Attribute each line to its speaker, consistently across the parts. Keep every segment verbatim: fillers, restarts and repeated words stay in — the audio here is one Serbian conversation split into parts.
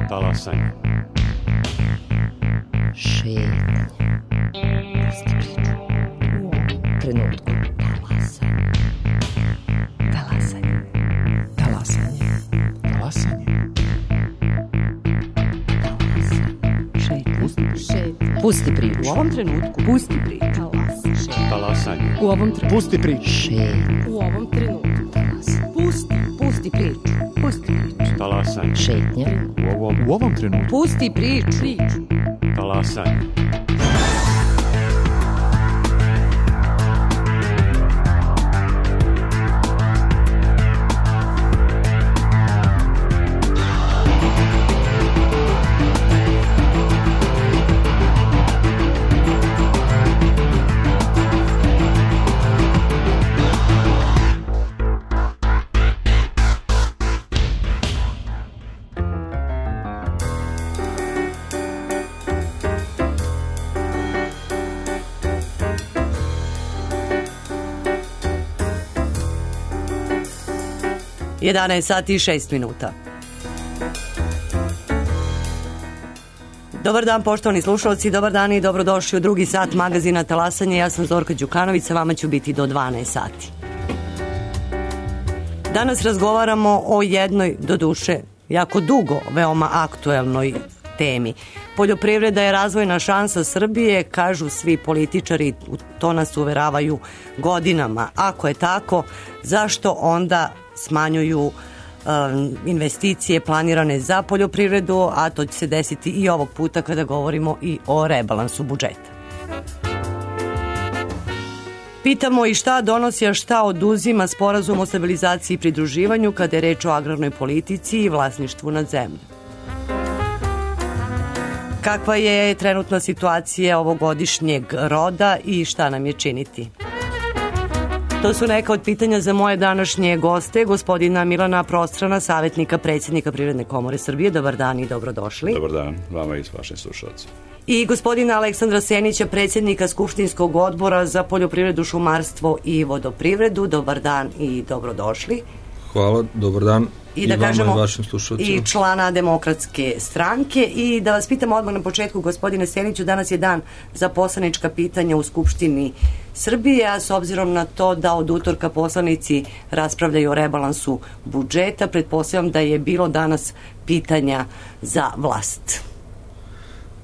Speaker 1: Talasanje.
Speaker 2: Šetnje. Pusti priču. U ovom trenutku. Talasanje. Talasanje.
Speaker 3: Talasanje. Talasanje.
Speaker 2: Šetnje. Pusti priču.
Speaker 4: U ovom trenutku. Pusti priču.
Speaker 1: Talasanje.
Speaker 4: U ovom trenutku.
Speaker 3: Pusti priču.
Speaker 2: Šetnje.
Speaker 4: U ovom trenutku. Pusti. Pusti priču. Pusti priču.
Speaker 1: Talasanje.
Speaker 2: Šetnje.
Speaker 1: U ovom,
Speaker 3: U ovom trenutku.
Speaker 4: Pusti priču. Priču.
Speaker 1: talasanje.
Speaker 5: jedanaest sati i šest minuta. Dobar dan, poštovani slušalci, dobar dan i dobrodošli u drugi sat magazina Talasanje. Ja sam Zorka Đukanović, sa vama ću biti do dvanaest sati. Danas razgovaramo o jednoj, doduše, jako dugo, veoma aktuelnoj temi. Poljoprivreda je razvojna šansa Srbije, kažu svi političari, to nas uveravaju godinama. Ako je tako, zašto onda smanjuju um, investicije planirane za poljoprivredu, a to će se desiti i ovog puta kada govorimo i o rebalansu budžeta. Pitamo i šta donosi, a šta oduzima sporazum o stabilizaciji i pridruživanju kada je reč o agrarnoj politici i vlasništvu nad zemljom. Kakva je trenutna situacija ovogodišnjeg roda i šta nam je činiti? To su neka od pitanja za moje današnje goste, gospodina Milana Prostrana, savjetnika predsjednika Privredne komore Srbije. Dobar dan i dobrodošli.
Speaker 6: Dobar dan, vama i vašim slušalcima.
Speaker 5: I gospodina Aleksandra Senića, predsjednika Skupštinskog odbora za poljoprivredu, šumarstvo i vodoprivredu. Dobar dan i dobrodošli.
Speaker 7: Hvala, dobar dan.
Speaker 5: I,
Speaker 7: I
Speaker 5: da
Speaker 7: vama
Speaker 5: kažemo,
Speaker 7: i vašim slušalcima.
Speaker 5: I člana Demokratske stranke. I da vas pitam odmah na početku, gospodine Seniću, danas je dan za poslanička pitanja u Skupštini Srbije, a s obzirom na to da od utorka poslanici raspravljaju o rebalansu budžeta, pretpostavljam da je bilo danas pitanja za vlast.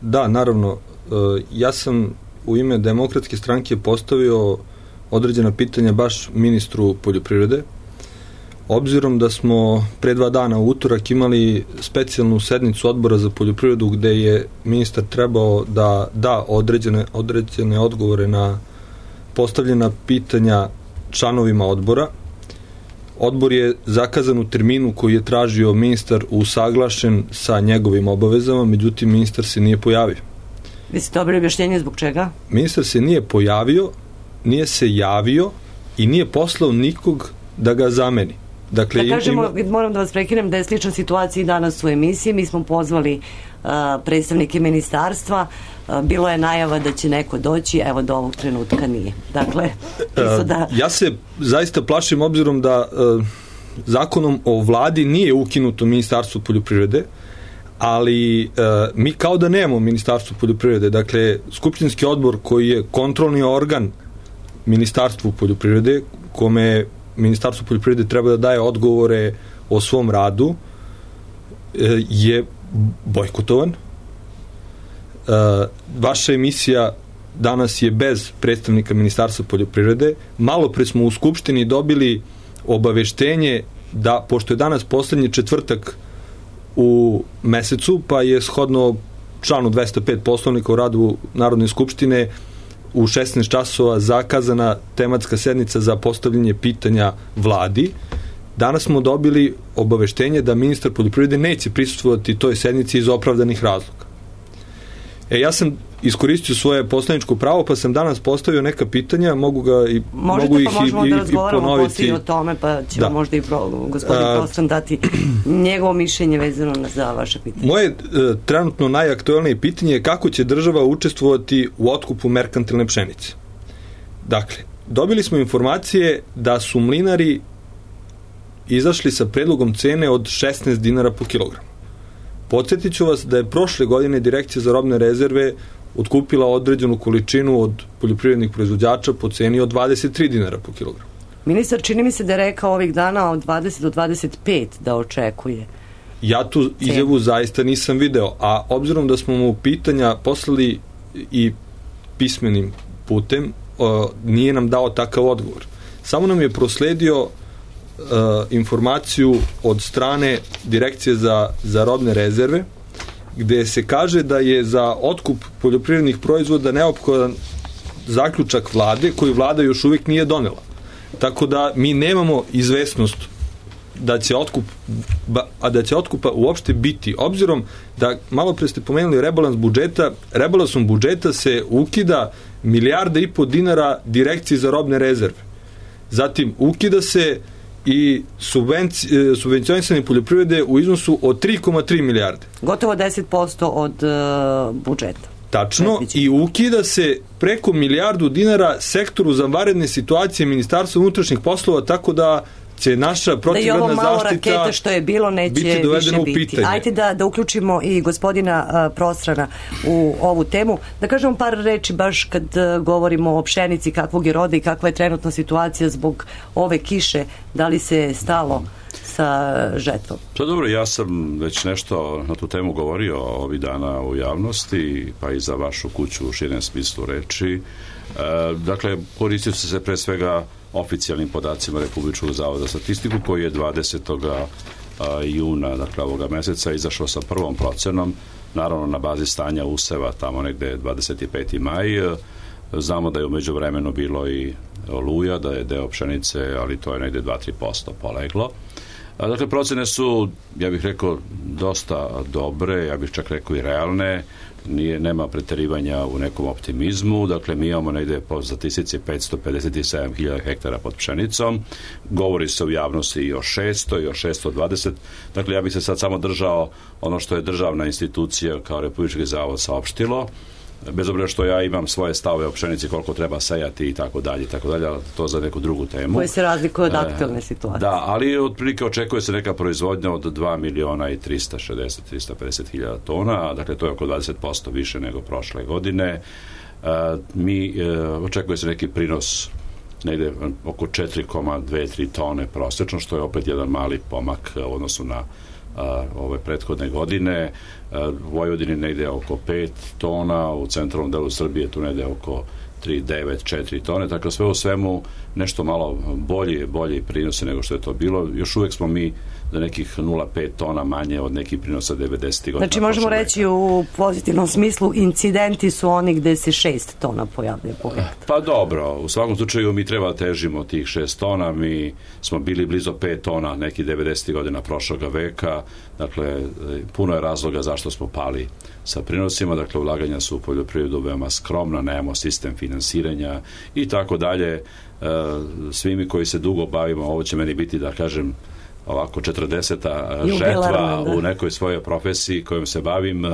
Speaker 7: Da, naravno. Ja sam u ime Demokratske stranke postavio određena pitanja baš ministru poljoprivrede. Obzirom da smo pre dva dana u utorak imali specijalnu sednicu odbora za poljoprivredu gde je ministar trebao da da određene, određene odgovore na postavljena pitanja članovima odbora. Odbor je zakazan u terminu koji je tražio ministar usaglašen sa njegovim obavezama, međutim ministar se nije pojavio.
Speaker 5: Vi ste dobili objašnjenje zbog čega?
Speaker 7: Ministar se nije pojavio, nije se javio i nije poslao nikog da ga zameni. Dakle,
Speaker 5: da kažemo,
Speaker 7: ima...
Speaker 5: moram da vas prekinem da je slična situacija i danas u emisiji. Mi smo pozvali uh, predstavnike ministarstva, uh, bilo je najava da će neko doći, evo do ovog trenutka nije. Dakle, uh, da...
Speaker 7: ja se zaista plašim obzirom da uh, zakonom o vladi nije ukinuto Ministarstvo poljoprivrede, ali uh, mi kao da nemamo Ministarstvo poljoprivrede. Dakle, Skupštinski odbor koji je kontrolni organ Ministarstvu poljoprivrede, kome Ministarstvo poljoprivrede treba da daje odgovore o svom radu, je bojkotovan. Vaša emisija danas je bez predstavnika Ministarstva poljoprivrede. Malo pre smo u Skupštini dobili obaveštenje da, pošto je danas poslednji četvrtak u mesecu, pa je shodno članu dvesta pet Poslovnika o radu Narodne skupštine u šesnaest časova zakazana tematska sednica za postavljanje pitanja vladi. Danas smo dobili obaveštenje da ministar poljoprivrede neće prisustvovati toj sednici iz opravdanih razloga. E, ja sam iskoristio svoje poslaničko pravo, pa sam danas postavio neka pitanja, mogu ga i
Speaker 5: Možete,
Speaker 7: mogu ih
Speaker 5: pa možemo
Speaker 7: i,
Speaker 5: da
Speaker 7: i,
Speaker 5: razgovaramo
Speaker 7: i ponoviti.
Speaker 5: poslije o tome, pa ćemo
Speaker 7: da.
Speaker 5: možda i pro, gospodin
Speaker 7: A,
Speaker 5: Prostran dati njegovo mišljenje vezano za vaše pitanje.
Speaker 7: Moje e, trenutno najaktuelnije pitanje je kako će država učestvovati u otkupu merkantilne pšenice. Dakle, dobili smo informacije da su mlinari izašli sa predlogom cene od šesnaest dinara po kilogramu. Podsjetit ću vas da je prošle godine Direkcija za robne rezerve otkupila određenu količinu od poljoprivrednih proizvođača po ceni od dvadeset tri dinara po kilogramu.
Speaker 5: Ministar, čini mi se da je rekao ovih dana od dvadeset do dvadeset pet da očekuje.
Speaker 7: Ja tu izjavu zaista nisam video, a obzirom da smo mu pitanja poslali i pismenim putem, o, nije nam dao takav odgovor. Samo nam je prosledio o, informaciju od strane Direkcije za, za robne rezerve, gde se kaže da je za otkup poljoprivrednih proizvoda neophodan zaključak vlade, koji vlada još uvijek nije donela. Tako da mi nemamo izvesnost da će otkup a da će otkupa uopšte biti, obzirom da malo pre ste pomenuli rebalans budžeta, rebalansom budžeta se ukida milijarda i po dinara Direkciji za robne rezerve. Zatim ukida se i subvenci, subvencionisanje poljoprivrede u iznosu od tri zarez tri milijarde.
Speaker 5: Gotovo deset posto od uh, budžeta.
Speaker 7: Tačno, i ukida se preko milijardu dinara sektoru za vanredne situacije Ministarstva unutrašnjih poslova, tako da će naša protivgradna zaštita
Speaker 5: da i ovo malo raketa što je bilo neće
Speaker 7: biti
Speaker 5: više
Speaker 7: u
Speaker 5: biti.
Speaker 7: pitanje.
Speaker 5: Ajde da, da uključimo i gospodina uh, Prostrana u ovu temu. Da kažemo par reči baš kad uh, govorimo o pšenici, kakvog je roda i kakva je trenutna situacija zbog ove kiše. Da li se stalo sa žetvom?
Speaker 6: Pa dobro, ja sam već nešto na tu temu govorio ovih dana u javnosti, pa i za vašu kuću u širem smislu reči. E, dakle, koristit će se pre svega oficijalnim podacima Republičkog zavoda za statistiku, koji je dvadesetog juna, dakle ovoga meseca, izašao sa prvom procenom, naravno na bazi stanja useva, tamo negde dvadeset peti maj. Znamo da je umeđu vremenu bilo i oluja, da je deo pšenice, ali to je negde dva do tri posto poleglo. Dakle, procene su, ja bih rekao, dosta dobre, ja bih čak rekao i realne, nije, nema preterivanja u nekom optimizmu. Dakle, mi imamo negde po statistici petsto pedeset sedam hiljada hektara pod pšenicom, govori se u javnosti i o šesto i o šesto dvadeset. Dakle, ja bih se sad samo držao ono što je državna institucija kao Republički zavod saopštilo, bez obzira što ja imam svoje stavove o pšenici, koliko treba sejati i tako dalje, tako dalje, to za neku drugu temu.
Speaker 5: Koje se razlikuje od aktualne situacije.
Speaker 6: Da, ali otprilike očekuje se neka proizvodnja od dva miliona i trista šezdeset do trista pedeset hiljada tona, dakle to je oko dvadeset posto više nego prošle godine. Mi očekuje se neki prinos negde oko četiri zarez dve do tri tone prosečno, što je opet jedan mali pomak u odnosu na a, ove prethodne godine. A, u Vojvodini negde oko pet tona, u centralnom delu Srbije tu negde oko tri zarez devet četiri tone, tako sve u svemu nešto malo bolji, bolji prinose nego što je to bilo. Još uvek smo mi za nekih nula zarez pet tona manje od nekih prinosa devedesetih godina.
Speaker 5: Znači možemo reći u pozitivnom smislu incidenti su oni gde se šest tona pojavljaju po hektaru.
Speaker 6: Pa dobro, u svakom slučaju mi treba težimo tih šest tona, mi smo bili blizu pet tona nekih devedesetih godina prošloga veka, dakle puno je razloga zašto smo pali sa prinosima, dakle ulaganja su u poljoprivredu veoma skromna, nemamo sistem finansiranja i tako dalje. Svi mi koji se dugo bavimo, ovo će meni biti, da kažem, ovako četrdeseta žetva u nekoj svojoj profesiji kojom se bavim.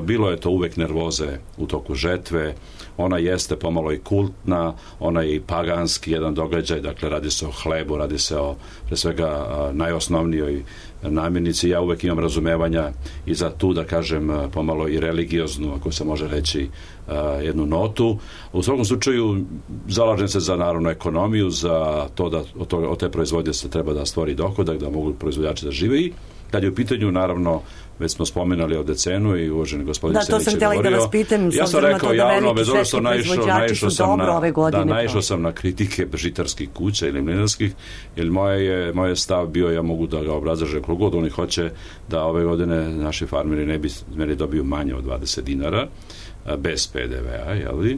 Speaker 6: Bilo je to uvek nervoze u toku žetve, ona jeste pomalo i kultna, ona je i paganski jedan događaj, dakle radi se o hlebu, radi se o pre svega najosnovnijoj namirnici. Ja uvek imam razumevanja i za tu, da kažem, pomalo i religioznu, ako se može reći, jednu notu. U svakom slučaju zalažem se za narodnu ekonomiju, za to da od, toga, od te proizvodnje se treba da stvori dohodak, da mogu proizvođači da žive. I kad je u pitanju, naravno, već smo spomenuli ovde cenu i uvaženi gospodin Senić je govorio. Da, to sam htjela da vas pitam,
Speaker 5: ja sam rekao javno, bez obzira što naišao sam na,
Speaker 6: da, naišao sam na kritike žitarskih kuća ili mlinarskih, jer moje je, moj je stav bio, ja mogu da ga obrazlažem koliko god oni hoće, da ove godine naši farmeri ne bi smeli dobiju manje od dvadeset dinara, bez pe de ve a, jel vi? E,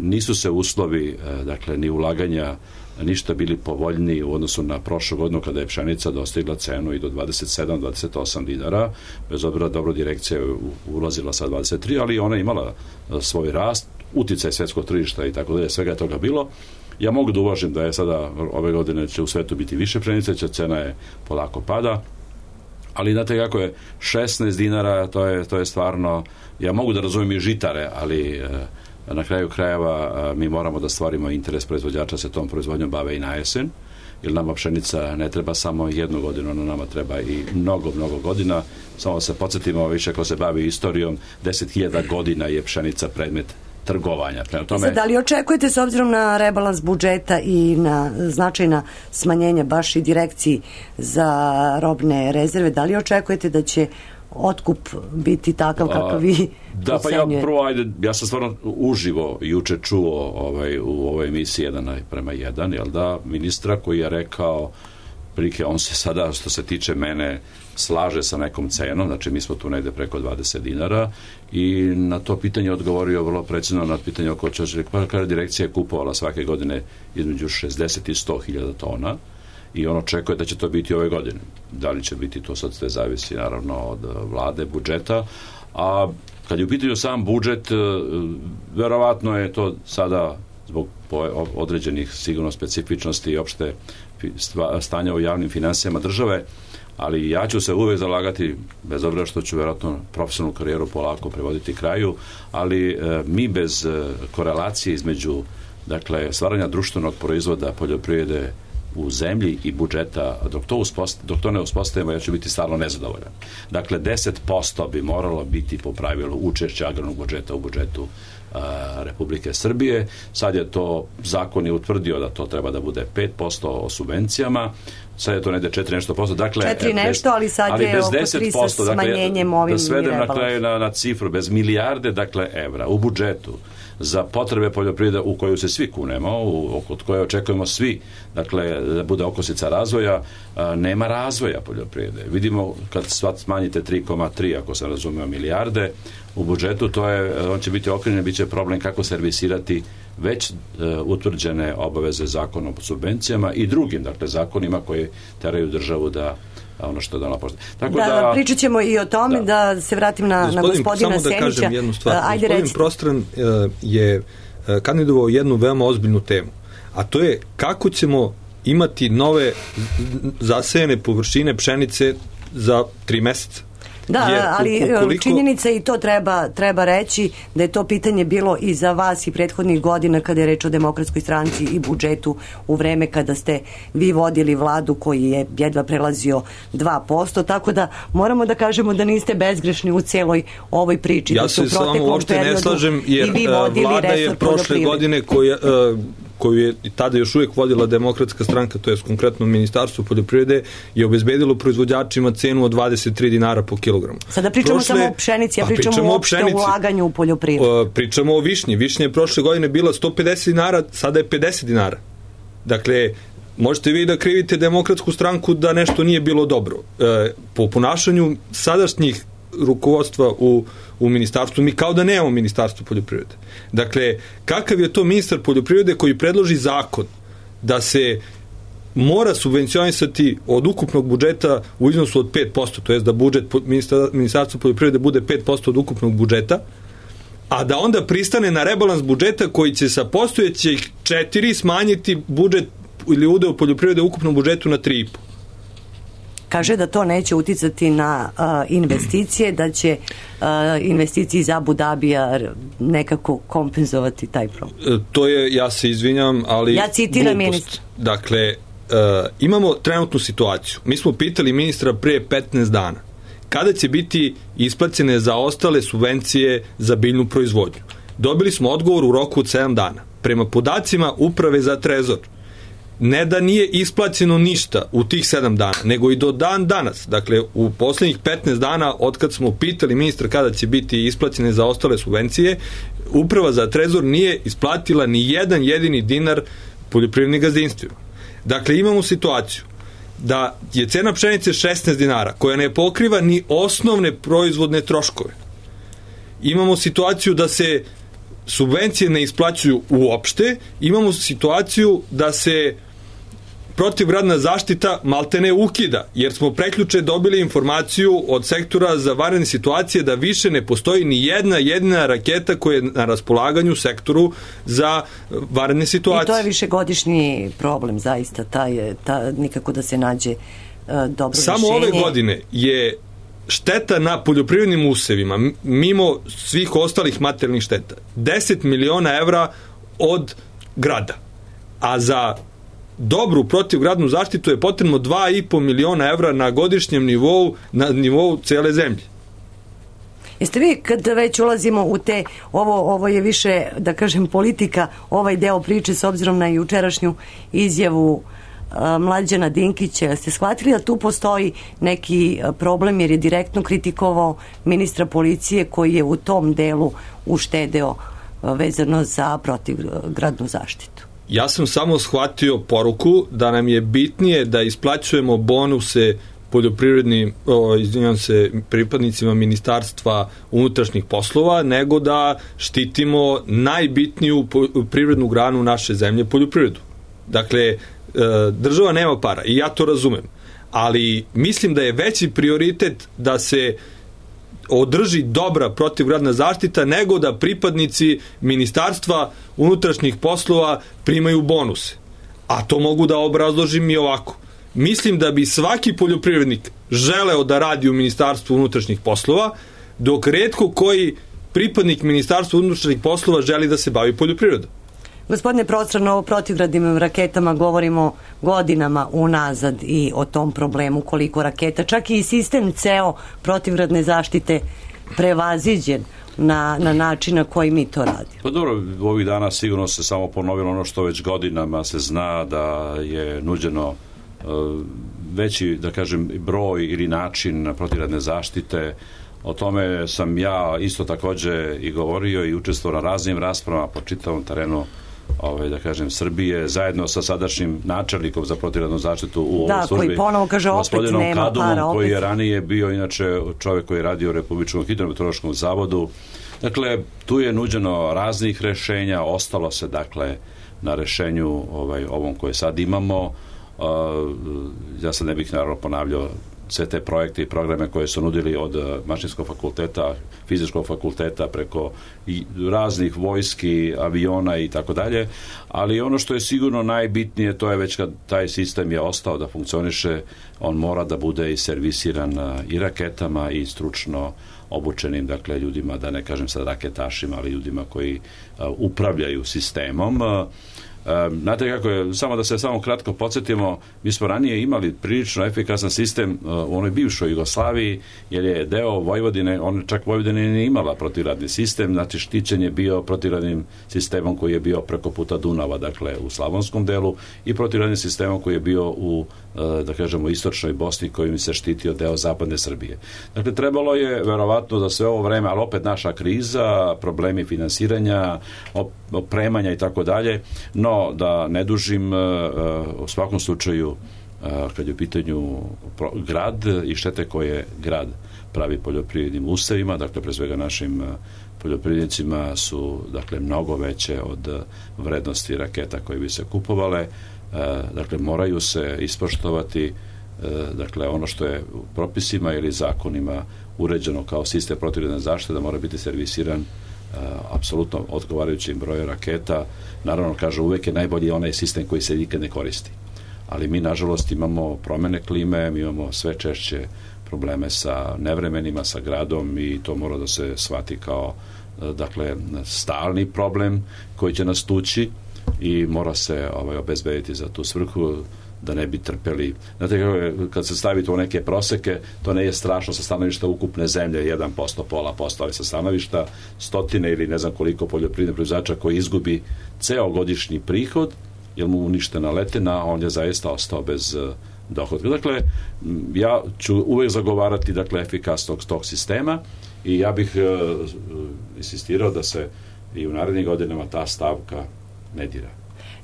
Speaker 6: nisu se uslovi, dakle, ni ulaganja ništa bili povoljniji u odnosu na prošlu godinu kada je pšenica dostigla cenu i do dvadeset sedam do dvadeset osam dinara, bez obzira dobro direkcija je ulazila sa dvadeset tri, ali ona je imala svoj rast, uticaj svetskog tržišta i tako dalje, svega je toga bilo. Ja mogu da uvažim da je sada ove godine će u svetu biti više pšenice, će cena je polako pada, ali znate kako je šesnaest dinara, to je, to je stvarno, ja mogu da razumijem i žitare, ali na kraju krajeva mi moramo da stvarimo interes proizvođača, se tom proizvodnjom bave i na jesen. jer nama pšenica ne treba samo jednu godinu, ona nama treba i mnogo, mnogo godina. Samo se podsjetimo, više ko se bavi istorijom, deset hiljada godina je pšenica predmet trgovanja. Prema tome...
Speaker 5: Da li očekujete, s obzirom na rebalans budžeta i na značajna smanjenja baš i direkciji za robne rezerve, da li očekujete da će otkup biti takav kakav vi
Speaker 6: da, pa ja prvo, ajde, ja sam stvarno uživo juče čuo ovaj, u ovoj emisiji jedan prema jedan, jel da, ministra koji je rekao prilike, on se sada, što se tiče mene, slaže sa nekom cenom, znači mi smo tu negde preko dvadeset dinara i na to pitanje odgovorio vrlo precizno na pitanje oko čega, pa kada direkcija je kupovala svake godine između šezdeset i sto hiljada tona i on očekuje da će to biti ove godine. Da li će biti, to sad sve zavisi naravno od vlade, budžeta, a kad je u pitanju sam budžet, verovatno je to sada zbog određenih sigurno specifičnosti i opšte stanja u javnim finansijama države, ali ja ću se uvek zalagati, bez obzira što ću verovatno profesionalnu karijeru polako prevoditi kraju, ali e, mi bez e, korelacije između dakle, stvaranja društvenog proizvoda poljoprivrede u zemlji i budžeta, dok to, uspost, dok to ne uspostavimo, ja ću biti stalno nezadovoljan. Dakle, deset posto bi moralo biti po pravilu učešća agrarnog budžeta u budžetu a, Republike Srbije. Sad je to, zakon je utvrdio da to treba da bude pet posto o subvencijama, sad je to negde četiri nešto posto. Dakle,
Speaker 5: četiri nešto, ali sad ali je oko tri sa smanjenjem
Speaker 6: dakle,
Speaker 5: ovim
Speaker 6: da svedem na kraju na, na cifru, bez milijarde, dakle, evra u budžetu za potrebe poljoprivrede u koju se svi kunemo, u, od koje očekujemo svi, dakle, da bude okosnica razvoja, a, nema razvoja poljoprivrede. Vidimo, kad smanjite tri zarez tri, ako se razumeo, milijarde u budžetu, to je, on će biti okrenjen, bit će problem kako servisirati već e, utvrđene obaveze zakonom o subvencijama i drugim, dakle, zakonima koji teraju državu da ono što da napošte. Tako da,
Speaker 5: da pričat ćemo i o tome, da, da se vratim na,
Speaker 7: gospodin,
Speaker 5: na gospodina Senića.
Speaker 7: Samo da kažem jednu stvar.
Speaker 5: Ajde,
Speaker 7: gospodin Prostran uh, je uh, kandidovao jednu veoma ozbiljnu temu, a to je kako ćemo imati nove zasejene površine pšenice za tri meseca.
Speaker 5: Da, jer, ali ukoliko... činjenica i to treba, treba reći da je to pitanje bilo i za vas i prethodnih godina kada je reč o Demokratskoj stranci i budžetu u vreme kada ste vi vodili vladu koji je jedva prelazio dva posto, tako da moramo da kažemo da niste bezgrešni u celoj ovoj priči.
Speaker 7: Ja se s vama uopšte ne slažem, jer vlada je prošle godine koja... Uh, koju je tada još uvijek vodila Demokratska stranka, to je konkretno Ministarstvo poljoprivrede, je obezbedilo proizvođačima cenu od dvadeset tri dinara po kilogramu.
Speaker 5: Sada pričamo prošle, samo o pšenici, a pričamo, pričamo uopšte o ulaganju u poljoprivredu.
Speaker 7: Pričamo o višnji. Višnja je prošle godine bila sto pedeset dinara, sada je pedeset dinara. Dakle, možete vi da krivite Demokratsku stranku da nešto nije bilo dobro. Po ponašanju sadašnjih rukovodstva u, u ministarstvu, mi kao da nemamo ministarstvo poljoprivrede. Dakle, kakav je to ministar poljoprivrede koji predloži zakon da se mora subvencionisati od ukupnog budžeta u iznosu od pet posto, to jest da budžet ministarstva poljoprivrede bude pet posto od ukupnog budžeta, a da onda pristane na rebalans budžeta koji će sa postojećih četiri smanjiti budžet ili udeo poljoprivrede u ukupnom budžetu na tri i po.
Speaker 5: Kaže da to neće uticati na uh, investicije, da će uh, investicije iz Abu Dabija nekako kompenzovati taj problem.
Speaker 7: E, to je, ja se izvinjam, ali
Speaker 5: ja citiram ministra.
Speaker 7: Dakle, uh, imamo trenutnu situaciju. Mi smo pitali ministra pre petnaest dana kada će biti isplaćene za ostale subvencije za biljnu proizvodnju. Dobili smo odgovor u roku od sedam dana. Prema podacima Uprave za Trezor, ne da nije isplaćeno ništa u tih sedam dana, nego i do dan danas, dakle u poslednjih petnaest dana od kad smo pitali ministra kada će biti isplaćene za ostale subvencije, Uprava za Trezor nije isplatila ni jedan jedini dinar poljoprivrednim gazdinstvima. Dakle, imamo situaciju da je cena pšenice šesnaest dinara, koja ne pokriva ni osnovne proizvodne troškove. Imamo situaciju da se subvencije ne isplaćuju uopšte, imamo situaciju da se protivgradna zaštita maltene ukida, jer smo preključe dobili informaciju od sektora za vanredne situacije da više ne postoji ni jedna jedina raketa koja je na raspolaganju sektoru za vanredne situacije.
Speaker 5: I to je višegodišnji problem, zaista, taj, ta, nikako da se nađe uh, dobro
Speaker 7: Samo
Speaker 5: rešenje.
Speaker 7: ove godine je šteta na poljoprivrednim usevima, mimo svih ostalih materijalnih šteta, deset miliona evra od grada. A za dobru protivgradnu zaštitu je potrebno dva i po miliona evra na godišnjem nivou, na nivou cele zemlje.
Speaker 5: Jeste vi, kad već ulazimo u te, ovo, ovo je više, da kažem, politika, ovaj deo priče s obzirom na jučerašnju izjavu a, Mlađana Dinkića, ste shvatili da tu postoji neki problem jer je direktno kritikovao ministra policije koji je u tom delu uštedeo a, vezano za protivgradnu zaštitu?
Speaker 7: Ja sam samo shvatio poruku da nam je bitnije da isplaćujemo bonuse poljoprivrednim, o, izvinjam se, pripadnicima Ministarstva unutrašnjih poslova, nego da štitimo najbitniju privrednu granu naše zemlje, poljoprivredu. Dakle, država nema para i ja to razumem, ali mislim da je veći prioritet da se održi dobra protivgradna zaštita nego da pripadnici Ministarstva unutrašnjih poslova primaju bonuse. A to mogu da obrazložim i ovako. Mislim da bi svaki poljoprivrednik želeo da radi u Ministarstvu unutrašnjih poslova, dok retko koji pripadnik Ministarstva unutrašnjih poslova želi da se bavi poljoprivredom.
Speaker 5: Gospodine Prostrano, o protivgradnim raketama govorimo godinama unazad i o tom problemu koliko raketa, čak i sistem ceo protivgradne zaštite prevaziđen na, na način na koji mi to radimo.
Speaker 6: Pa dobro, ovih dana sigurno se samo ponovilo ono što već godinama se zna da je nuđeno veći, da kažem, broj ili način protivgradne zaštite. O tome sam ja isto takođe i govorio i učestvovao na raznim raspravama po čitavom terenu, ovaj, da kažem, Srbije, zajedno sa sadašnjim načelnikom za protivgradnu zaštitu u ovoj
Speaker 5: da,
Speaker 6: službi,
Speaker 5: koji ponovo kaže opet nema
Speaker 6: Kadumom,
Speaker 5: para, opet.
Speaker 6: koji je ranije bio inače čovjek koji je radio u Republičkom hidrometeorološkom zavodu. Dakle, tu je nuđeno raznih rešenja, ostalo se, dakle, na rešenju ovaj, ovom koje sad imamo. Uh, ja sad ne bih naravno ponavljao sve te projekte i programe koje su nudili od mašinskog fakulteta, fizičkog fakulteta preko i raznih vojski, aviona i tako dalje, ali ono što je sigurno najbitnije, to je već kad taj sistem je ostao da funkcioniše, on mora da bude i servisiran i raketama i stručno obučenim, dakle, ljudima, da ne kažem sad raketašima, ali ljudima koji uh, upravljaju sistemom. Uh, Znate kako je, samo da se samo kratko podsjetimo, mi smo ranije imali prilično efikasan sistem u onoj bivšoj Jugoslaviji, jer je deo Vojvodine, on čak Vojvodina nije imala protivgradni sistem, znači štićen je bio protivgradnim sistemom koji je bio preko puta Dunava, dakle u slavonskom delu, i protivgradnim sistemom koji je bio u, da kažemo, istočnoj Bosni, kojim se štitio deo zapadne Srbije. Dakle, trebalo je verovatno da sve ovo vreme, ali opet naša kriza, problemi finansiranja, opremanja i tako dalje, no da ne dužim, u svakom slučaju, kad je u pitanju grad i štete koje grad pravi poljoprivrednim usevima, dakle pre svega našim poljoprivrednicima su, dakle, mnogo veće od vrednosti raketa koje bi se kupovale. Dakle, moraju se ispoštovati, dakle, ono što je u propisima ili zakonima uređeno kao sistem protivgradne zaštite, da mora biti servisiran apsolutno odgovarajućim brojem raketa. Naravno, kaže, uvek je najbolji onaj sistem koji se nikad ne koristi. Ali mi, nažalost, imamo promene klime, mi imamo sve češće probleme sa nevremenima, sa gradom, i to mora da se shvati kao, dakle, stalni problem koji će nas tući i mora se ovaj, obezbediti za tu svrhu, da ne bi trpeli. Znate kako je, kad se stavite u neke proseke, to ne je strašno sa stanovišta ukupne zemlje, jedan posto, pola posto, ali sa stanovišta stotine ili ne znam koliko poljoprivrednih proizvođača koji izgubi ceo godišnji prihod, jer mu uništena letina, on je zaista ostao bez dohodka. Dakle, ja ću uvek zagovarati, dakle, efikasnog tog sistema i ja bih uh, insistirao da se i u narednim godinama ta stavka ne dira.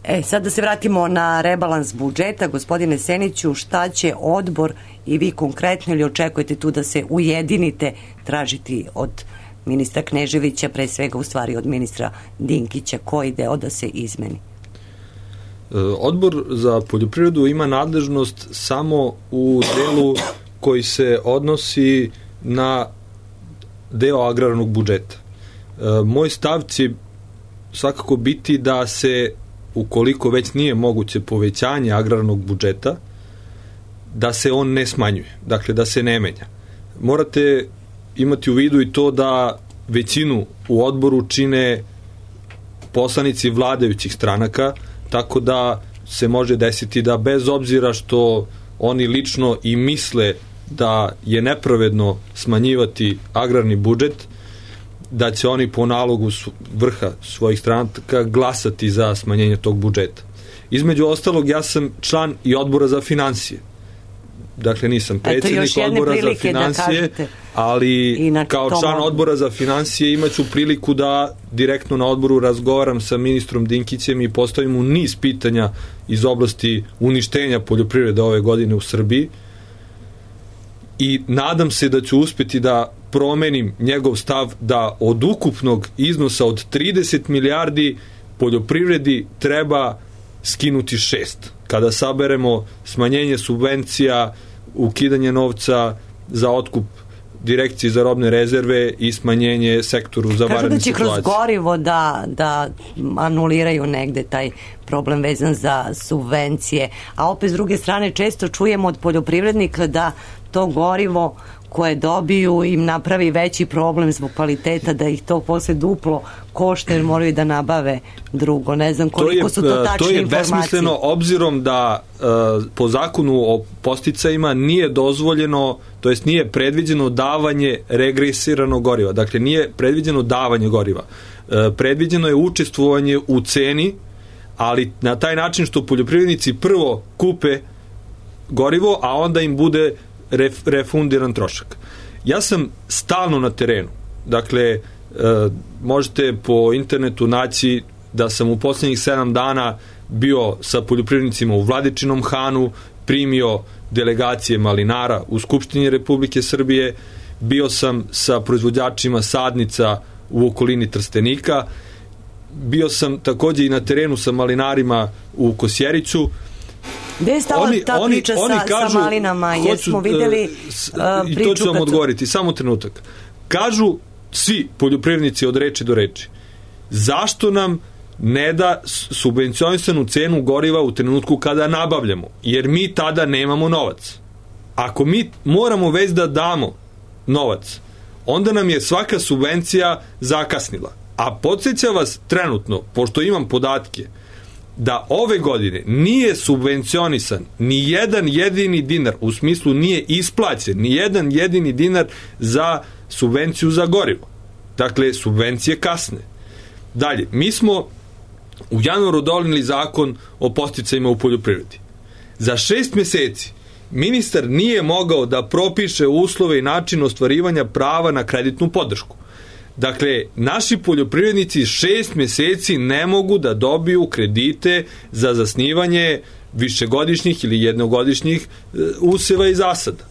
Speaker 5: E, sad da se vratimo na rebalans budžeta. Gospodine Seniću, šta će odbor i vi konkretno, ili očekujete tu da se ujedinite, tražiti od ministra Kneževića, pre svega u stvari od ministra Dinkića, koji deo da se izmeni?
Speaker 7: Odbor za poljoprivredu ima nadležnost samo u delu koji se odnosi na deo agrarnog budžeta. Moj stav će svakako biti da se, ukoliko već nije moguće povećanje agrarnog budžeta, da se on ne smanjuje, dakle da se ne menja. Morate imati u vidu i to da većinu u odboru čine poslanici vladajućih stranaka, tako da se može desiti da bez obzira što oni lično i misle da je nepravedno smanjivati agrarni budžet, da će oni po nalogu vrha svojih stranaka glasati za smanjenje tog budžeta. Između ostalog, ja sam član i odbora za finansije. Dakle, nisam predsjednik odbora za finansije, ali kao član odbora za finansije imaću priliku da direktno na odboru razgovaram sa ministrom Dinkićem i postavim mu niz pitanja iz oblasti uništenja poljoprivrede ove godine u Srbiji i nadam se da ću uspeti da promenim njegov stav da od ukupnog iznosa od trideset milijardi poljoprivredi treba skinuti šest. Kada saberemo smanjenje subvencija, ukidanje novca za otkup direkcije za robne rezerve i smanjenje sektoru za vanredne situacije.
Speaker 5: Kažu da će kroz gorivo da, da anuliraju negde taj problem vezan za subvencije, a opet s druge strane često čujemo od poljoprivrednika da to gorivo koje dobiju im napravi veći problem zbog kvaliteta, da ih to posle duplo košta jer moraju da nabave drugo. Ne znam koliko su to tačne informacije.
Speaker 7: To je besmisleno obzirom da uh, po zakonu o podsticajima nije dozvoljeno, to jest nije predviđeno davanje regresiranog goriva. Dakle, nije predviđeno davanje goriva. Uh, predviđeno je učestvovanje u ceni, ali na taj način što poljoprivrednici prvo kupe gorivo, a onda im bude Ref, refundiran trošak. Ja sam stalno na terenu. Dakle, e, možete po internetu naći da sam u posljednjih sedam dana bio sa poljoprivrednicima u Vladičinom Hanu, primio delegacije malinara u Skupštini Republike Srbije, bio sam sa proizvođačima sadnica u okolini Trstenika, bio sam takođe i na terenu sa malinarima u Kosjeriću.
Speaker 5: Gde je stala oni, ta
Speaker 7: oni,
Speaker 5: priča
Speaker 7: oni
Speaker 5: sa,
Speaker 7: kažu,
Speaker 5: sa malinama? Jer smo vidjeli uh,
Speaker 7: i
Speaker 5: priču...
Speaker 7: to ću vam
Speaker 5: kad...
Speaker 7: odgovoriti, samo trenutak. Kažu svi poljoprivrednici od reči do reči, zašto nam ne da subvencionisanu cenu goriva u trenutku kada nabavljamo? Jer mi tada nemamo novac. Ako mi moramo već da damo novac, onda nam je svaka subvencija zakasnila. A podsjeća vas trenutno, pošto imam podatke, da ove godine nije subvencionisan ni jedan jedini dinar, u smislu nije isplaćen ni jedan jedini dinar za subvenciju za gorivo. Dakle, subvencije kasne. Dalje, mi smo u januaru doneli zakon o podsticajima u poljoprivredi. Za šest meseci ministar nije mogao da propiše uslove i način ostvarivanja prava na kreditnu podršku. Dakle, naši poljoprivrednici šest meseci ne mogu da dobiju kredite za zasnivanje višegodišnjih ili jednogodišnjih useva i zasada.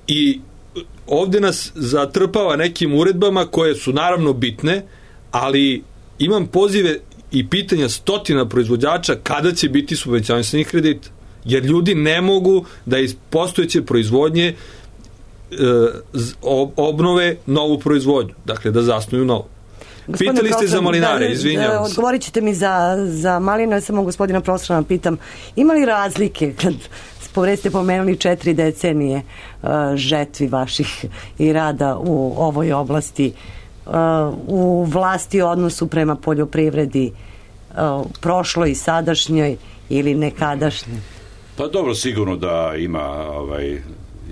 Speaker 7: I ovde nas zatrpava nekim uredbama koje su naravno bitne, ali imam pozive i pitanja stotina proizvođača kada će biti subvencionisanih kredita. Jer ljudi ne mogu da iz postojeće proizvodnje obnove novu proizvodnju, dakle da zasnuju novu. Gospodine Pitali ste za malinare, da, izvinjavam se.
Speaker 5: Odgovorit ćete mi za, za maline, samo gospodina profesora pitam, ima li razlike kad ste pomenuli četiri decenije uh, žetvi vaših i rada u ovoj oblasti, uh, u vlasti odnosu prema poljoprivredi, uh, prošloj i sadašnjoj ili nekadašnjoj?
Speaker 6: Pa dobro, sigurno da ima ovaj,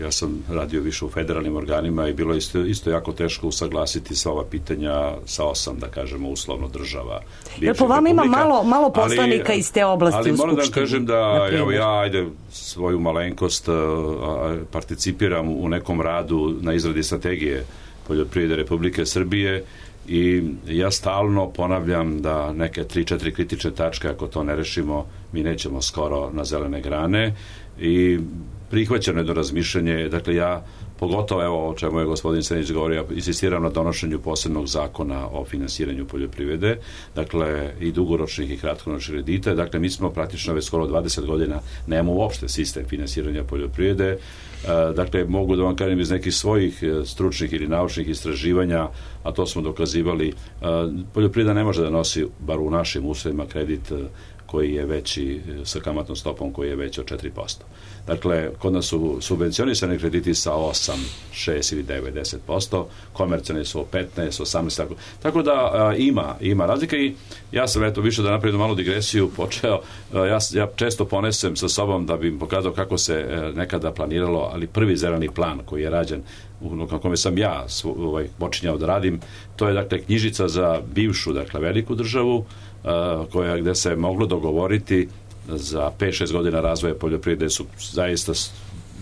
Speaker 6: ja sam radio više u federalnim organima i bilo je isto, isto jako teško usaglasiti sva ova pitanja sa osam, da kažemo, uslovno država.
Speaker 5: Jer po vama ima malo, malo poslanika ali, iz te oblasti
Speaker 6: ali
Speaker 5: u Skupštini.
Speaker 6: Ali moram da kažem da evo, ja ajde svoju malenkost a, participiram u nekom radu na izradi strategije poljoprivrede Republike Srbije i ja stalno ponavljam da neke tri četiri kritične tačke, ako to ne rešimo, mi nećemo skoro na zelene grane i prihvaćeno je do razmišljanje, dakle ja pogotovo evo o čemu je gospodin Senić govorio, insistiram na donošenju posebnog zakona o finansiranju poljoprivrede, dakle i dugoročnih i kratkoročnih kredita, dakle mi smo praktično već skoro dvadeset godina nemamo uopšte sistem finansiranja poljoprivrede, dakle mogu da vam kažem iz nekih svojih stručnih ili naučnih istraživanja, a to smo dokazivali, poljoprivreda ne može da nosi, bar u našim uslovima, kredit koji je veći, sa kamatnom stopom koji je veći od četiri posto. Dakle, kod nas su subvencionisani krediti sa osam, šest ili devet, deset posto, komercijalni su petnaest, osamnaest, tako, tako da a, ima, ima razlika i ja sam, eto, više da napravim malu digresiju, počeo, a, ja, ja često ponesem sa sobom da bi im pokazao kako se a, nekada planiralo, ali prvi zeleni plan koji je rađen, na kome sam ja svo, ovaj, počinjao da radim, to je, dakle, knjižica za bivšu, dakle, veliku državu, a, koja, gde se moglo dogovoriti za pet šest godina razvoja poljoprivrede su zaista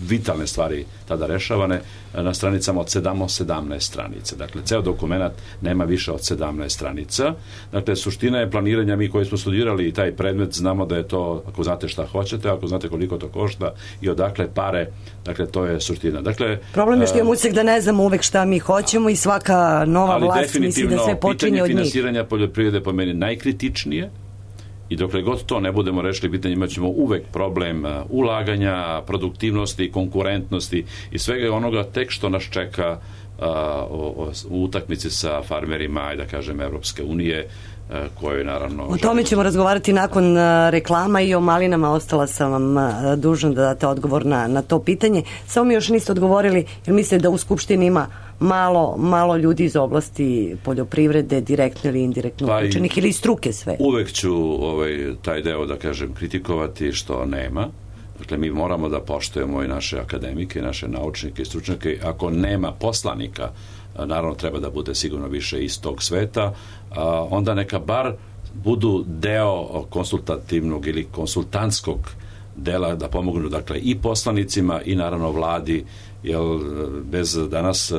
Speaker 6: vitalne stvari tada rešavane na stranicama od sedamnaest stranica. Dakle, ceo dokument nema više od sedamnaest stranica. Dakle, suština je planiranja, mi koji smo studirali taj predmet, znamo da je to, ako znate šta hoćete, ako znate koliko to košta i odakle pare, dakle, to je suština. Dakle,
Speaker 5: problem je što imamo utisak da ne znamo uvek šta mi hoćemo i svaka nova vlast misli da sve počinje od njih.
Speaker 6: Ali definitivno, pitanje finansiranja poljoprivrede po meni najkritičnije. I dokle god to ne budemo rešili pitanje, imat ćemo uvek problem ulaganja, produktivnosti, konkurentnosti i svega onoga tek što nas čeka a, o, o, u utakmici sa farmerima i da kažem Evropske unije, a, koje naravno...
Speaker 5: O tome ćemo razgovarati nakon a, reklama i o malinama. Ostala sam vam a, dužna da date odgovor na, na to pitanje. Samo mi još niste odgovorili, jer mislite da u Skupštini ima malo, malo ljudi iz oblasti poljoprivrede, direktno ili indirektno
Speaker 6: pa
Speaker 5: uključenih ili struke sve.
Speaker 6: Uvek ću ovaj, taj deo, da kažem, kritikovati što nema. Dakle, mi moramo da poštujemo i naše akademike, i naše naučnike i stručnjake. Ako nema poslanika, naravno treba da bude sigurno više iz tog sveta, onda neka bar budu deo konsultativnog ili konsultantskog dela da pomognu, dakle, i poslanicima i naravno vladi, jer bez danas,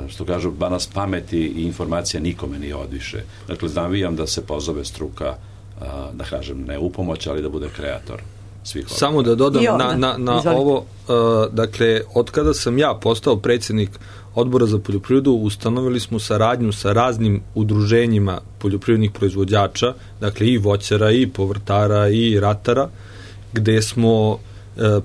Speaker 6: što kažu, danas pameti i informacija nikome nije odviše. Dakle, navijam da se pozove struka, da kažem, ne u pomoć, ali da bude kreator svih ovdje.
Speaker 7: Samo da dodam na, na, na ovo, uh, dakle, od kada sam ja postao predsjednik Odbora za poljoprivredu, ustanovili smo saradnju sa raznim udruženjima poljoprivrednih proizvođača, dakle i voćara, i povrtara, i ratara, gde smo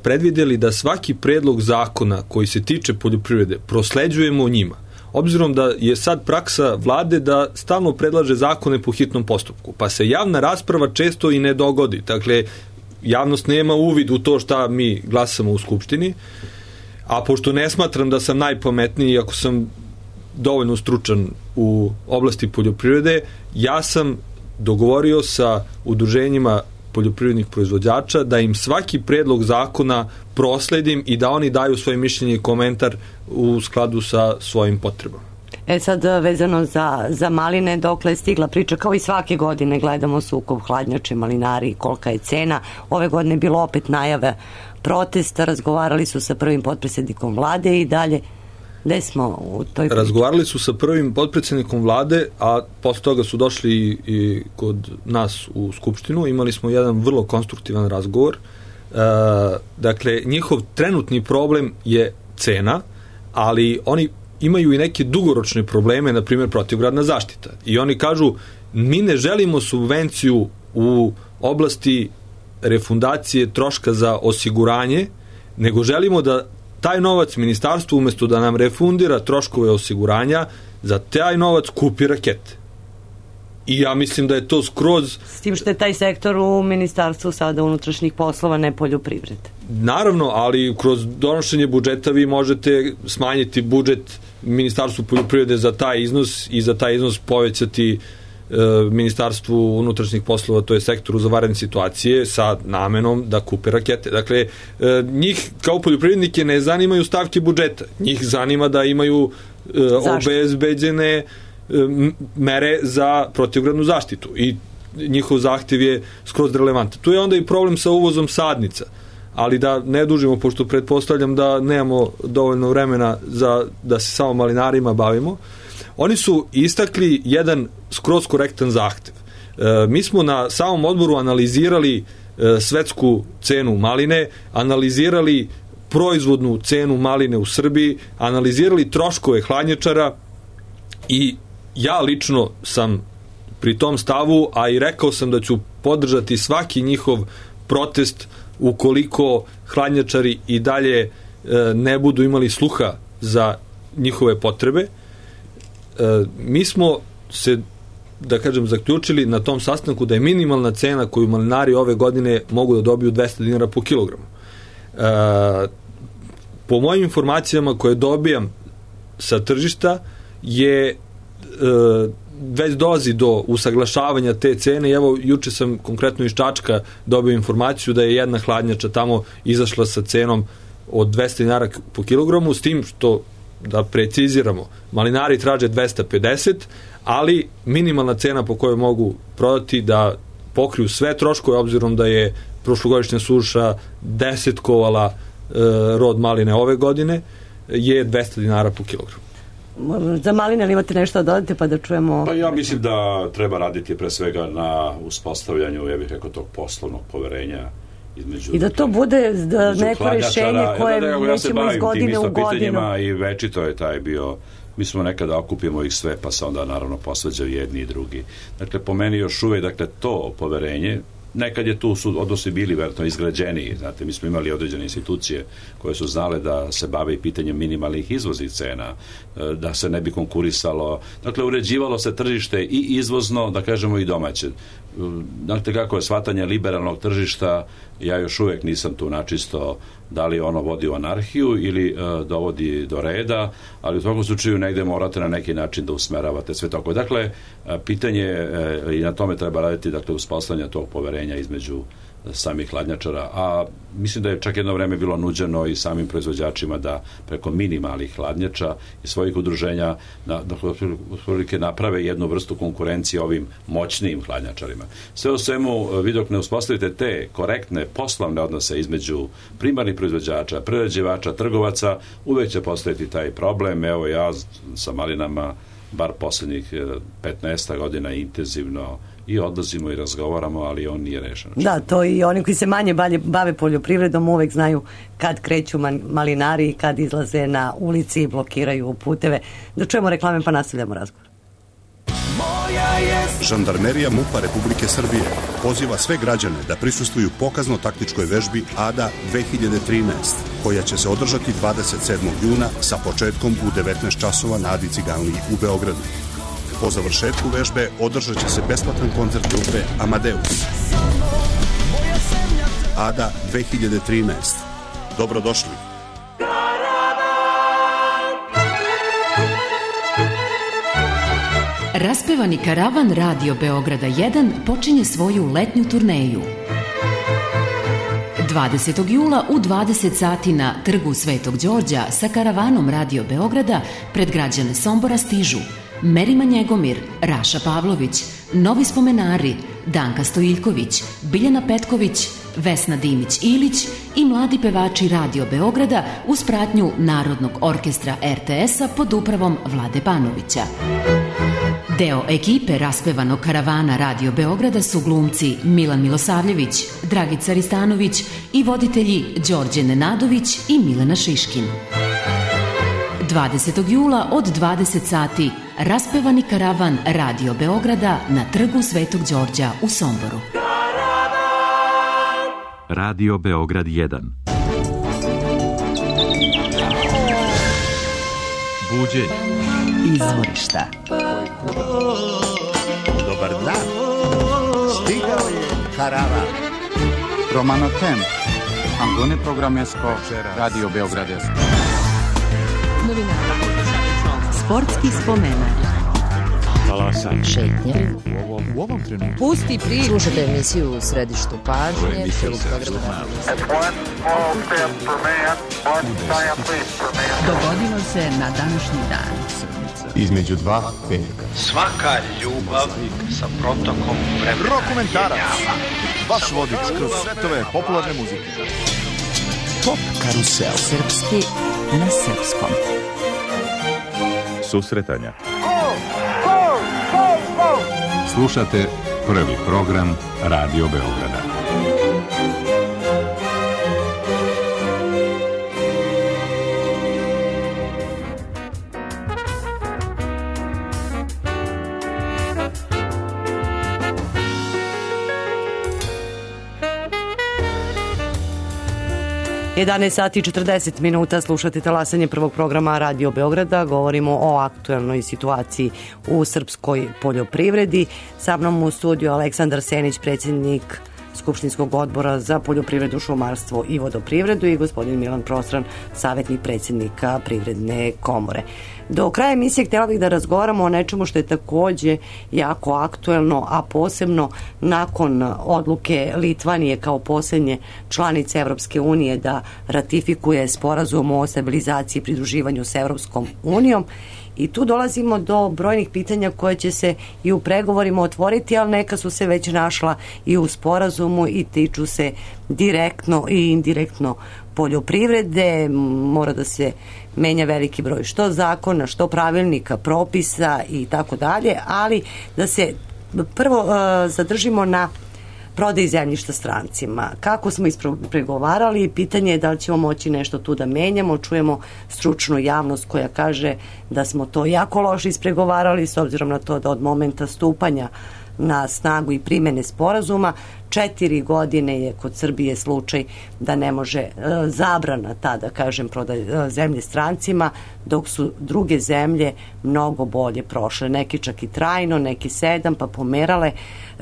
Speaker 7: predvidjeli da svaki predlog zakona koji se tiče poljoprivrede prosleđujemo njima. Obzirom da je sad praksa vlade da stalno predlaže zakone po hitnom postupku, pa se javna rasprava često i ne dogodi. Dakle, javnost nema uvid u to šta mi glasamo u Skupštini, a pošto ne smatram da sam najpametniji, ako sam dovoljno stručan u oblasti poljoprivrede, ja sam dogovorio sa udruženjima poljoprivrednih proizvođača da im svaki predlog zakona prosledim i da oni daju svoje mišljenje i komentar u skladu sa svojim potrebama.
Speaker 5: E sad, vezano za, za maline, dokle je stigla priča, kao i svake godine gledamo sukob hladnjače, malinari, kolika je cena. Ove godine je bilo opet najave protesta, razgovarali su sa prvim potpredsjednikom vlade i dalje. Gde smo u toj priči?
Speaker 7: Razgovarali su sa prvim potpredsjednikom vlade, a posle toga su došli i, i kod nas u Skupštinu. Imali smo jedan vrlo konstruktivan razgovor. E, dakle, njihov trenutni problem je cena, ali oni imaju i neke dugoročne probleme, na primjer protivgradna zaštita. I oni kažu, mi ne želimo subvenciju u oblasti refundacije troška za osiguranje, nego želimo da taj novac ministarstvo umjesto da nam refundira troškove osiguranja, za taj novac kupi rakete. I ja mislim da je to skroz...
Speaker 5: S tim što je taj sektor u ministarstvu sada unutrašnjih poslova, ne poljoprivrede.
Speaker 7: Naravno, ali kroz donošenje budžeta vi možete smanjiti budžet ministarstvu poljoprivrede za taj iznos i za taj iznos povećati e, ministarstvu unutrašnjih poslova, to je sektoru za vanredne situacije, sa namenom da kupe rakete. Dakle, e, njih kao poljoprivrednike ne zanimaju stavke budžeta. Njih zanima da imaju e, obezbeđene mere za protivgradnu zaštitu i njihov zahtjev je skroz relevantan. Tu je onda i problem sa uvozom sadnica, ali da ne dužimo, pošto pretpostavljam da nemamo dovoljno vremena za da se samo malinarima bavimo. Oni su istakli jedan skroz korektan zahtjev. E, mi smo na samom odboru analizirali e, svetsku cenu maline, analizirali proizvodnu cenu maline u Srbiji, analizirali troškove hladnjačara i ja lično sam pri tom stavu, a i rekao sam da ću podržati svaki njihov protest ukoliko hladnjačari i dalje e, ne budu imali sluha za njihove potrebe. E, mi smo se da kažem, zaključili na tom sastanku da je minimalna cena koju malinari ove godine mogu da dobiju dvesta dinara po kilogramu. E, po mojim informacijama koje dobijam sa tržišta je e, već dolazi do usaglašavanja te cene i evo juče sam konkretno iz Čačka dobio informaciju da je jedna hladnjača tamo izašla sa cenom od dvesta dinara po kilogramu, s tim što, da preciziramo, malinari traže dvesta pedeset, ali minimalna cena po kojoj mogu prodati da pokriju sve troškove, obzirom da je prošlogodišnja suša desetkovala e, rod maline ove godine, je dvesta dinara po kilogramu.
Speaker 5: Za maline li imate nešto da dodate pa da čujemo?
Speaker 6: Pa ja mislim da treba raditi pre svega na uspostavljanju, ja bih rekao, tog poslovnog poverenja između...
Speaker 5: I da to bude da neko rešenje koje
Speaker 6: ja,
Speaker 5: nećemo iz godine u godinu.
Speaker 6: I večito je taj bio, mi smo nekada okupimo ih sve pa se onda naravno posvađaju jedni i drugi. Dakle, po meni još uvek, dakle, to poverenje, nekad je tu su odnosi bili verovatno izgrađeniji, znate, mi smo imali određene institucije koje su znale da se bave i pitanjem minimalnih izvoznih cena, da se ne bi konkurisalo, dakle, uređivalo se tržište i izvozno, da kažemo, i domaće. Znate kako je shvatanje liberalnog tržišta, ja još uvek nisam tu načisto da li ono vodi u anarhiju ili uh, dovodi do reda, ali u svakom slučaju negde morate na neki način da usmeravate sve tako. Dakle, uh, pitanje uh, i na tome treba raditi, dakle, uspostavljanje tog poverenja između samih hladnjačara, a mislim da je čak jedno vreme bilo nuđeno i samim proizvođačima da preko minimalnih hladnjača i svojih udruženja na, da otprilike naprave jednu vrstu konkurencije ovim moćnijim hladnjačarima. Sve u svemu, vi dok ne uspostavite te korektne poslovne odnose između primarnih proizvođača, prerađivača, trgovaca, uvek će postojati taj problem. Evo, ja sa malinama bar poslednjih petnaest godina intenzivno i odlazimo i razgovaramo, ali on nije rešen.
Speaker 5: Da, to i oni koji se manje bave poljoprivredom uvek znaju kad kreću malinari i kad izlaze na ulici i blokiraju puteve. Da čujemo reklame pa nastavljamo razgovor.
Speaker 8: Žandarmerija MUP-a Republike Srbije poziva sve građane da prisustvuju pokazno-taktičkoj vežbi A D A dve hiljade trinaest, koja će se održati dvadeset sedmog juna sa početkom u devetnaest časova na Adi Ciganliji u Beogradu. Po završetku vežbe održat će se besplatan koncert grupe Amadeus. A D A dve hiljade trinaest. Dobrodošli.
Speaker 2: Raspevani karavan Radio Beograda jedan počinje svoju letnju turneju. dvadesetog jula u dvadeset sati na Trgu Svetog Đorđa sa karavanom Radio Beograda pred građane Sombora stižu Merima Njegomir, Raša Pavlović, Novi spomenari, Danka Stojiljković, Biljana Petković, Vesna Dimić-Ilić i mladi pevači Radio Beograda uz pratnju Narodnog orkestra R T S-a pod upravom Vlade Banovića. Deo ekipe raspevanog karavana Radio Beograda su glumci Milan Milosavljević, Dragica Ristanović i voditelji Đorđe Nenadović i Milena Šiškin. dvadesetog jula od dvadeset sati raspevani karavan Radio Beograda na Trgu Svetog Đorđa u Somboru.
Speaker 9: Radio Beograd jedan. Buđenje.
Speaker 2: Izvorišta.
Speaker 10: Dobar dan. Stigao je karavan. Romano Temp. Antone Programesko. Radio Beogradesko.
Speaker 2: Novinara. Sportski spomenak.
Speaker 1: Talasanje.
Speaker 2: Šetnje.
Speaker 3: U ovom trenutku.
Speaker 2: Pusti priču. Slušajte emisiju u središtu pažnje. Dogodilo se na današnji dan.
Speaker 10: Između dva veka.
Speaker 11: Svaka ljubav sa protokom vremena.
Speaker 10: Rokomentarac. Vaš vodič kroz svetove popularne muzike. Pop karusel.
Speaker 2: Srpski na srpskom.
Speaker 9: Susretanja.
Speaker 12: Slušate prvi program Radio Beograda.
Speaker 5: jedanaest sati i četrdeset minuta, slušate talasanje prvog programa Radio Beograda. Govorimo o aktuelnoj situaciji u srpskoj poljoprivredi. Sa mnom u studiju Aleksandar Senić, predsjednik Skupštinskog odbora za poljoprivredu, šumarstvo i vodoprivredu, i gospodin Milan Prostran, savjetnik predsjednika Privredne komore. Do kraja emisije htjela bih da razgovaramo o nečemu što je takođe jako aktuelno, a posebno nakon odluke Litvanije kao posljednje članice Evropske unije da ratifikuje sporazum o stabilizaciji i pridruživanju s Evropskom unijom. I tu dolazimo do brojnih pitanja koje će se i u pregovorima otvoriti, ali neka su se već našla i u sporazumu i tiču se direktno i indirektno poljoprivrede. Mora da se menja veliki broj što zakona, što pravilnika, propisa i tako dalje, ali da se prvo uh, zadržimo na prodaji zemljišta strancima. Kako smo ispregovarali, pitanje je da li ćemo moći nešto tu da menjamo. Čujemo stručnu javnost koja kaže da smo to jako loše ispregovarali, s obzirom na to da od momenta stupanja na snagu i primene sporazuma četiri godine je kod Srbije slučaj da ne može e, zabrana ta, da kažem, prodaj e, zemlje strancima, dok su druge zemlje mnogo bolje prošle, neki čak i trajno, neki sedam, pa pomerale.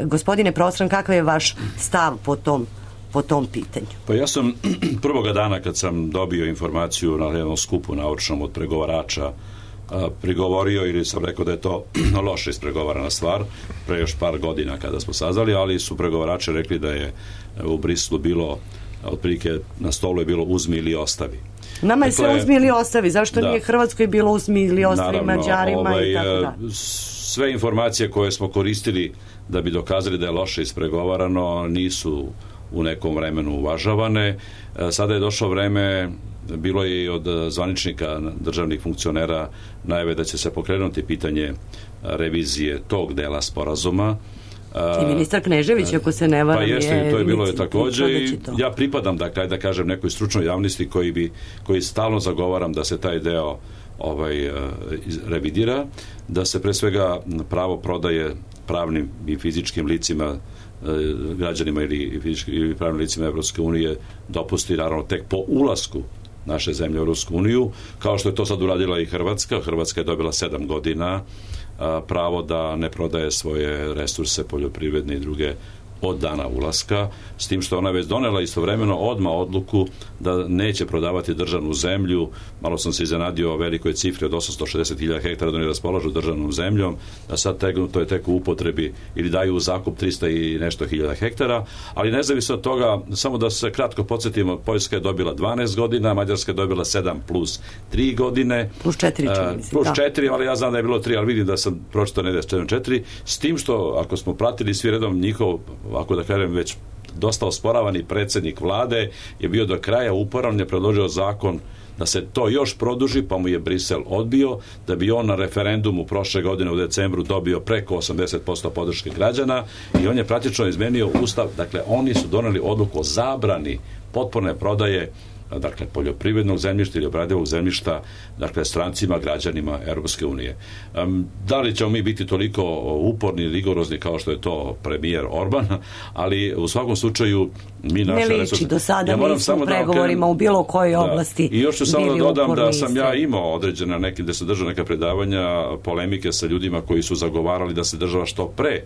Speaker 5: Gospodine Prostran, kakav je vaš stav po tom po tom pitanju?
Speaker 6: Pa ja sam prvoga dana kad sam dobio informaciju na jednom skupu naučnom od pregovarača prigovorio, ili sam rekao da je to loše ispregovarana stvar pre još par godina kada smo saznali, ali su pregovarači rekli da je u Brislu bilo otprilike na stolu je bilo uzmi ili ostavi.
Speaker 5: Nama je
Speaker 6: dakle,
Speaker 5: sve uzmi ili ostavi, zašto da, nije Hrvatskoj bilo uzmi ili ostavi, naravno, Mađarima ovaj, i tako da.
Speaker 6: Sve informacije koje smo koristili da bi dokazali da je loše ispregovarano nisu u nekom vremenu uvažavane. Sada je došlo vreme, bilo je i od zvaničnika državnih funkcionera najave da će se pokrenuti pitanje revizije tog dela sporazuma.
Speaker 5: I ministar Knežević, ako se ne varam,
Speaker 6: pa jeste,
Speaker 5: je,
Speaker 6: to je bilo je takođe i ja pripadam, dakle, da kažem, nekoj stručnoj javnosti koji bi, koji stalno zagovaram da se taj deo ovaj revidira, da se pre svega pravo prodaje pravnim i fizičkim licima, građanima ili fizičkim ili pravnim licima Evropske unije dopusti, naravno, tek po ulasku naše zemlje u Evropsku uniju, kao što je to sad uradila i Hrvatska. Hrvatska je dobila sedam godina a, pravo da ne prodaje svoje resurse poljoprivredne i druge od dana ulaska, s tim što ona već donela istovremeno odmah odluku da neće prodavati državnu zemlju. Malo sam se iznenadio o velikoj cifri od osamsto šezdeset hiljada hektara da oni raspolažu državnom zemljom, a sad tegnuto je tek u upotrebi ili daju u zakup trista i nešto hiljada hektara, ali nezavisno od toga, samo da se kratko podsjetimo, Poljska je dobila dvanaest godina, Mađarska je dobila sedam plus tri godine.
Speaker 5: Plus četiri, čini mi se.
Speaker 6: Plus četiri, ali ja znam da je bilo tri, ali vidim da sam pročitao ne da je četiri, s tim što, ako smo pratili svi redom njihov, ako da kažem, već dosta osporavani predsjednik vlade je bio do kraja uporan, je predložio zakon da se to još produži, pa mu je Brisel odbio, da bi on na referendumu prošle godine u decembru dobio preko osamdeset posto podrške građana, i on je praktično izmenio ustav. Dakle, oni su doneli odluku o zabrani potpune prodaje, dakle, poljoprivrednog zemljišta ili obradivog zemljišta, dakle, strancima, građanima Europske unije. Um, da li ćemo mi biti toliko uporni i rigorozni kao što je to premijer Orban, ali u svakom slučaju mi naše
Speaker 5: resurse... Ne liči,
Speaker 6: resurse...
Speaker 5: do sada
Speaker 6: ja
Speaker 5: nismo u pregovorima u bilo kojoj
Speaker 6: da,
Speaker 5: oblasti.
Speaker 6: I još ću samo da dodam da sam
Speaker 5: isti.
Speaker 6: ja imao određena neki, da se držao neka predavanja, polemike sa ljudima koji su zagovarali da se država što pre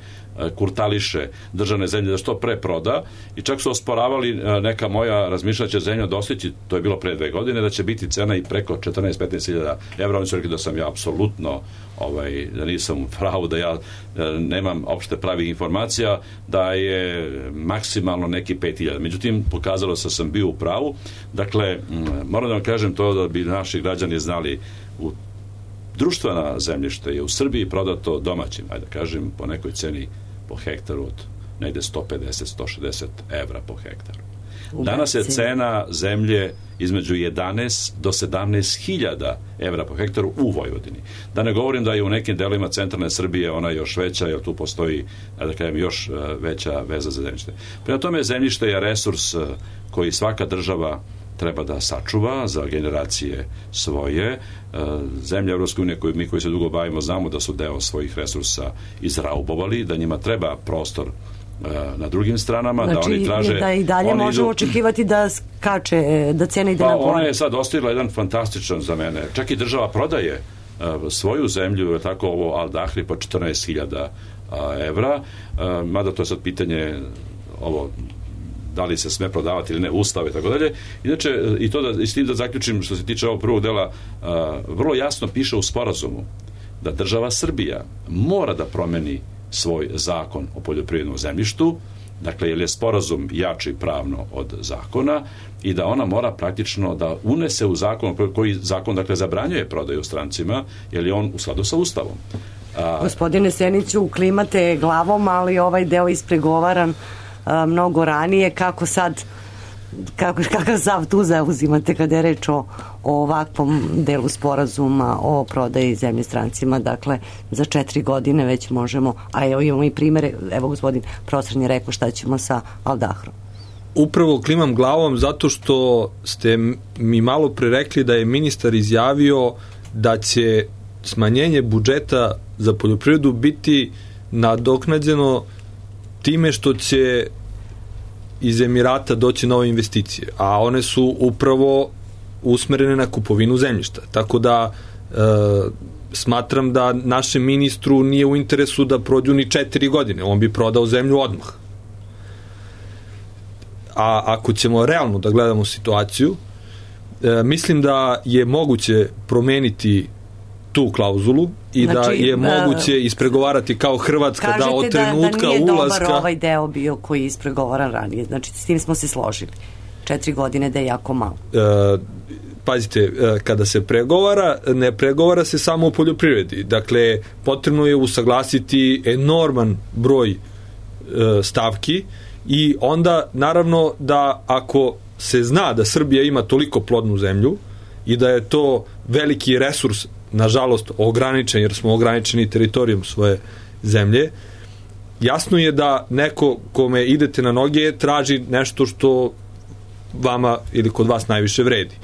Speaker 6: kurtališe državne zemlje, da što pre proda, i čak su osporavali neka moja razmišljanja će zemlja dostići, to je bilo pre dve godine, da će biti cena i preko četrnaest do petnaest hiljada evra. Oni su rekli da sam ja apsolutno, ovaj, da nisam u pravu, da ja nemam opšte pravih informacija, da je maksimalno neki pet hiljada. Međutim, pokazalo se da sam bio u pravu. Dakle, moram da vam kažem to da bi naši građani znali, u društvena zemljište je u Srbiji prodato domaćim, ajde da kažem, po nekoj ceni po hektaru od negde sto pedeset do sto šezdeset evra po hektaru. Danas je cena zemlje između jedanaest do sedamnaest hiljada evra po hektaru u Vojvodini. Da ne govorim da je u nekim delovima centralne Srbije ona još veća, jer tu postoji, da kažem, još veća veza za zemljište. Prema tome, zemljište je resurs koji svaka država treba da sačuva za generacije svoje. Zemlje Evropske unije, koji mi koji se dugo bavimo, znamo da su deo svojih resursa izraubovali, da njima treba prostor na drugim stranama,
Speaker 5: znači,
Speaker 6: da oni traže...
Speaker 5: da i dalje možemo idu... očekivati da skače, da cena ide
Speaker 6: pa,
Speaker 5: na gore.
Speaker 6: Ona je sad ostavila jedan fantastičan za mene. Čak i država prodaje uh, svoju zemlju, tako ovo Al Dahri po četrnaest hiljada evra, uh, mada to je sad pitanje ovo da li se sme prodavati ili ne, ustave i tako dalje. Inače, i to da, i s tim da zaključim što se tiče ovog prvog dela, uh, vrlo jasno piše u sporazumu da država Srbija mora da promeni svoj zakon o poljoprivrednom zemljištu, dakle, jer je sporazum jači pravno od zakona i da ona mora praktično da unese u zakon, koji zakon, dakle, zabranjuje prodaju strancima, jer je on u skladu sa Ustavom.
Speaker 5: A, Gospodine Seniću, klimate glavom, ali ovaj deo ispregovaran a, mnogo ranije, kako sad kako, kakav zav tu zauzimate kada je reč o, o ovakvom delu sporazuma o prodaji zemlje strancima, dakle za četiri godine već možemo, a evo imamo i primere, evo gospodin profesor je rekao šta ćemo sa Al Dahrom.
Speaker 7: Upravo klimam glavom zato što ste mi malo pre rekli da je ministar izjavio da će smanjenje budžeta za poljoprivredu biti nadoknađeno time što će iz Emirata doći nove investicije, a one su upravo usmerene na kupovinu zemljišta. Tako da e, smatram da našem ministru nije u interesu da prođu ni četiri godine. On bi prodao zemlju odmah. A ako ćemo realno da gledamo situaciju, e, mislim da je moguće promeniti tu klauzulu i znači, da je moguće ispregovarati kao Hrvatska da od trenutka
Speaker 5: da, da nije
Speaker 7: ulaska...
Speaker 5: dobar ovaj deo bio koji je ispregovaran ranije. Znači, s tim smo se složili. Četiri godine da je jako malo.
Speaker 7: E, pazite, e, kada se pregovara, ne pregovara se samo o poljoprivredi. Dakle, potrebno je usaglasiti enorman broj e, stavki i onda, naravno, da ako se zna da Srbija ima toliko plodnu zemlju i da je to veliki resurs, nažalost ograničen, jer smo ograničeni teritorijom svoje zemlje, jasno je da neko kome idete na noge traži nešto što vama ili kod vas najviše vredi.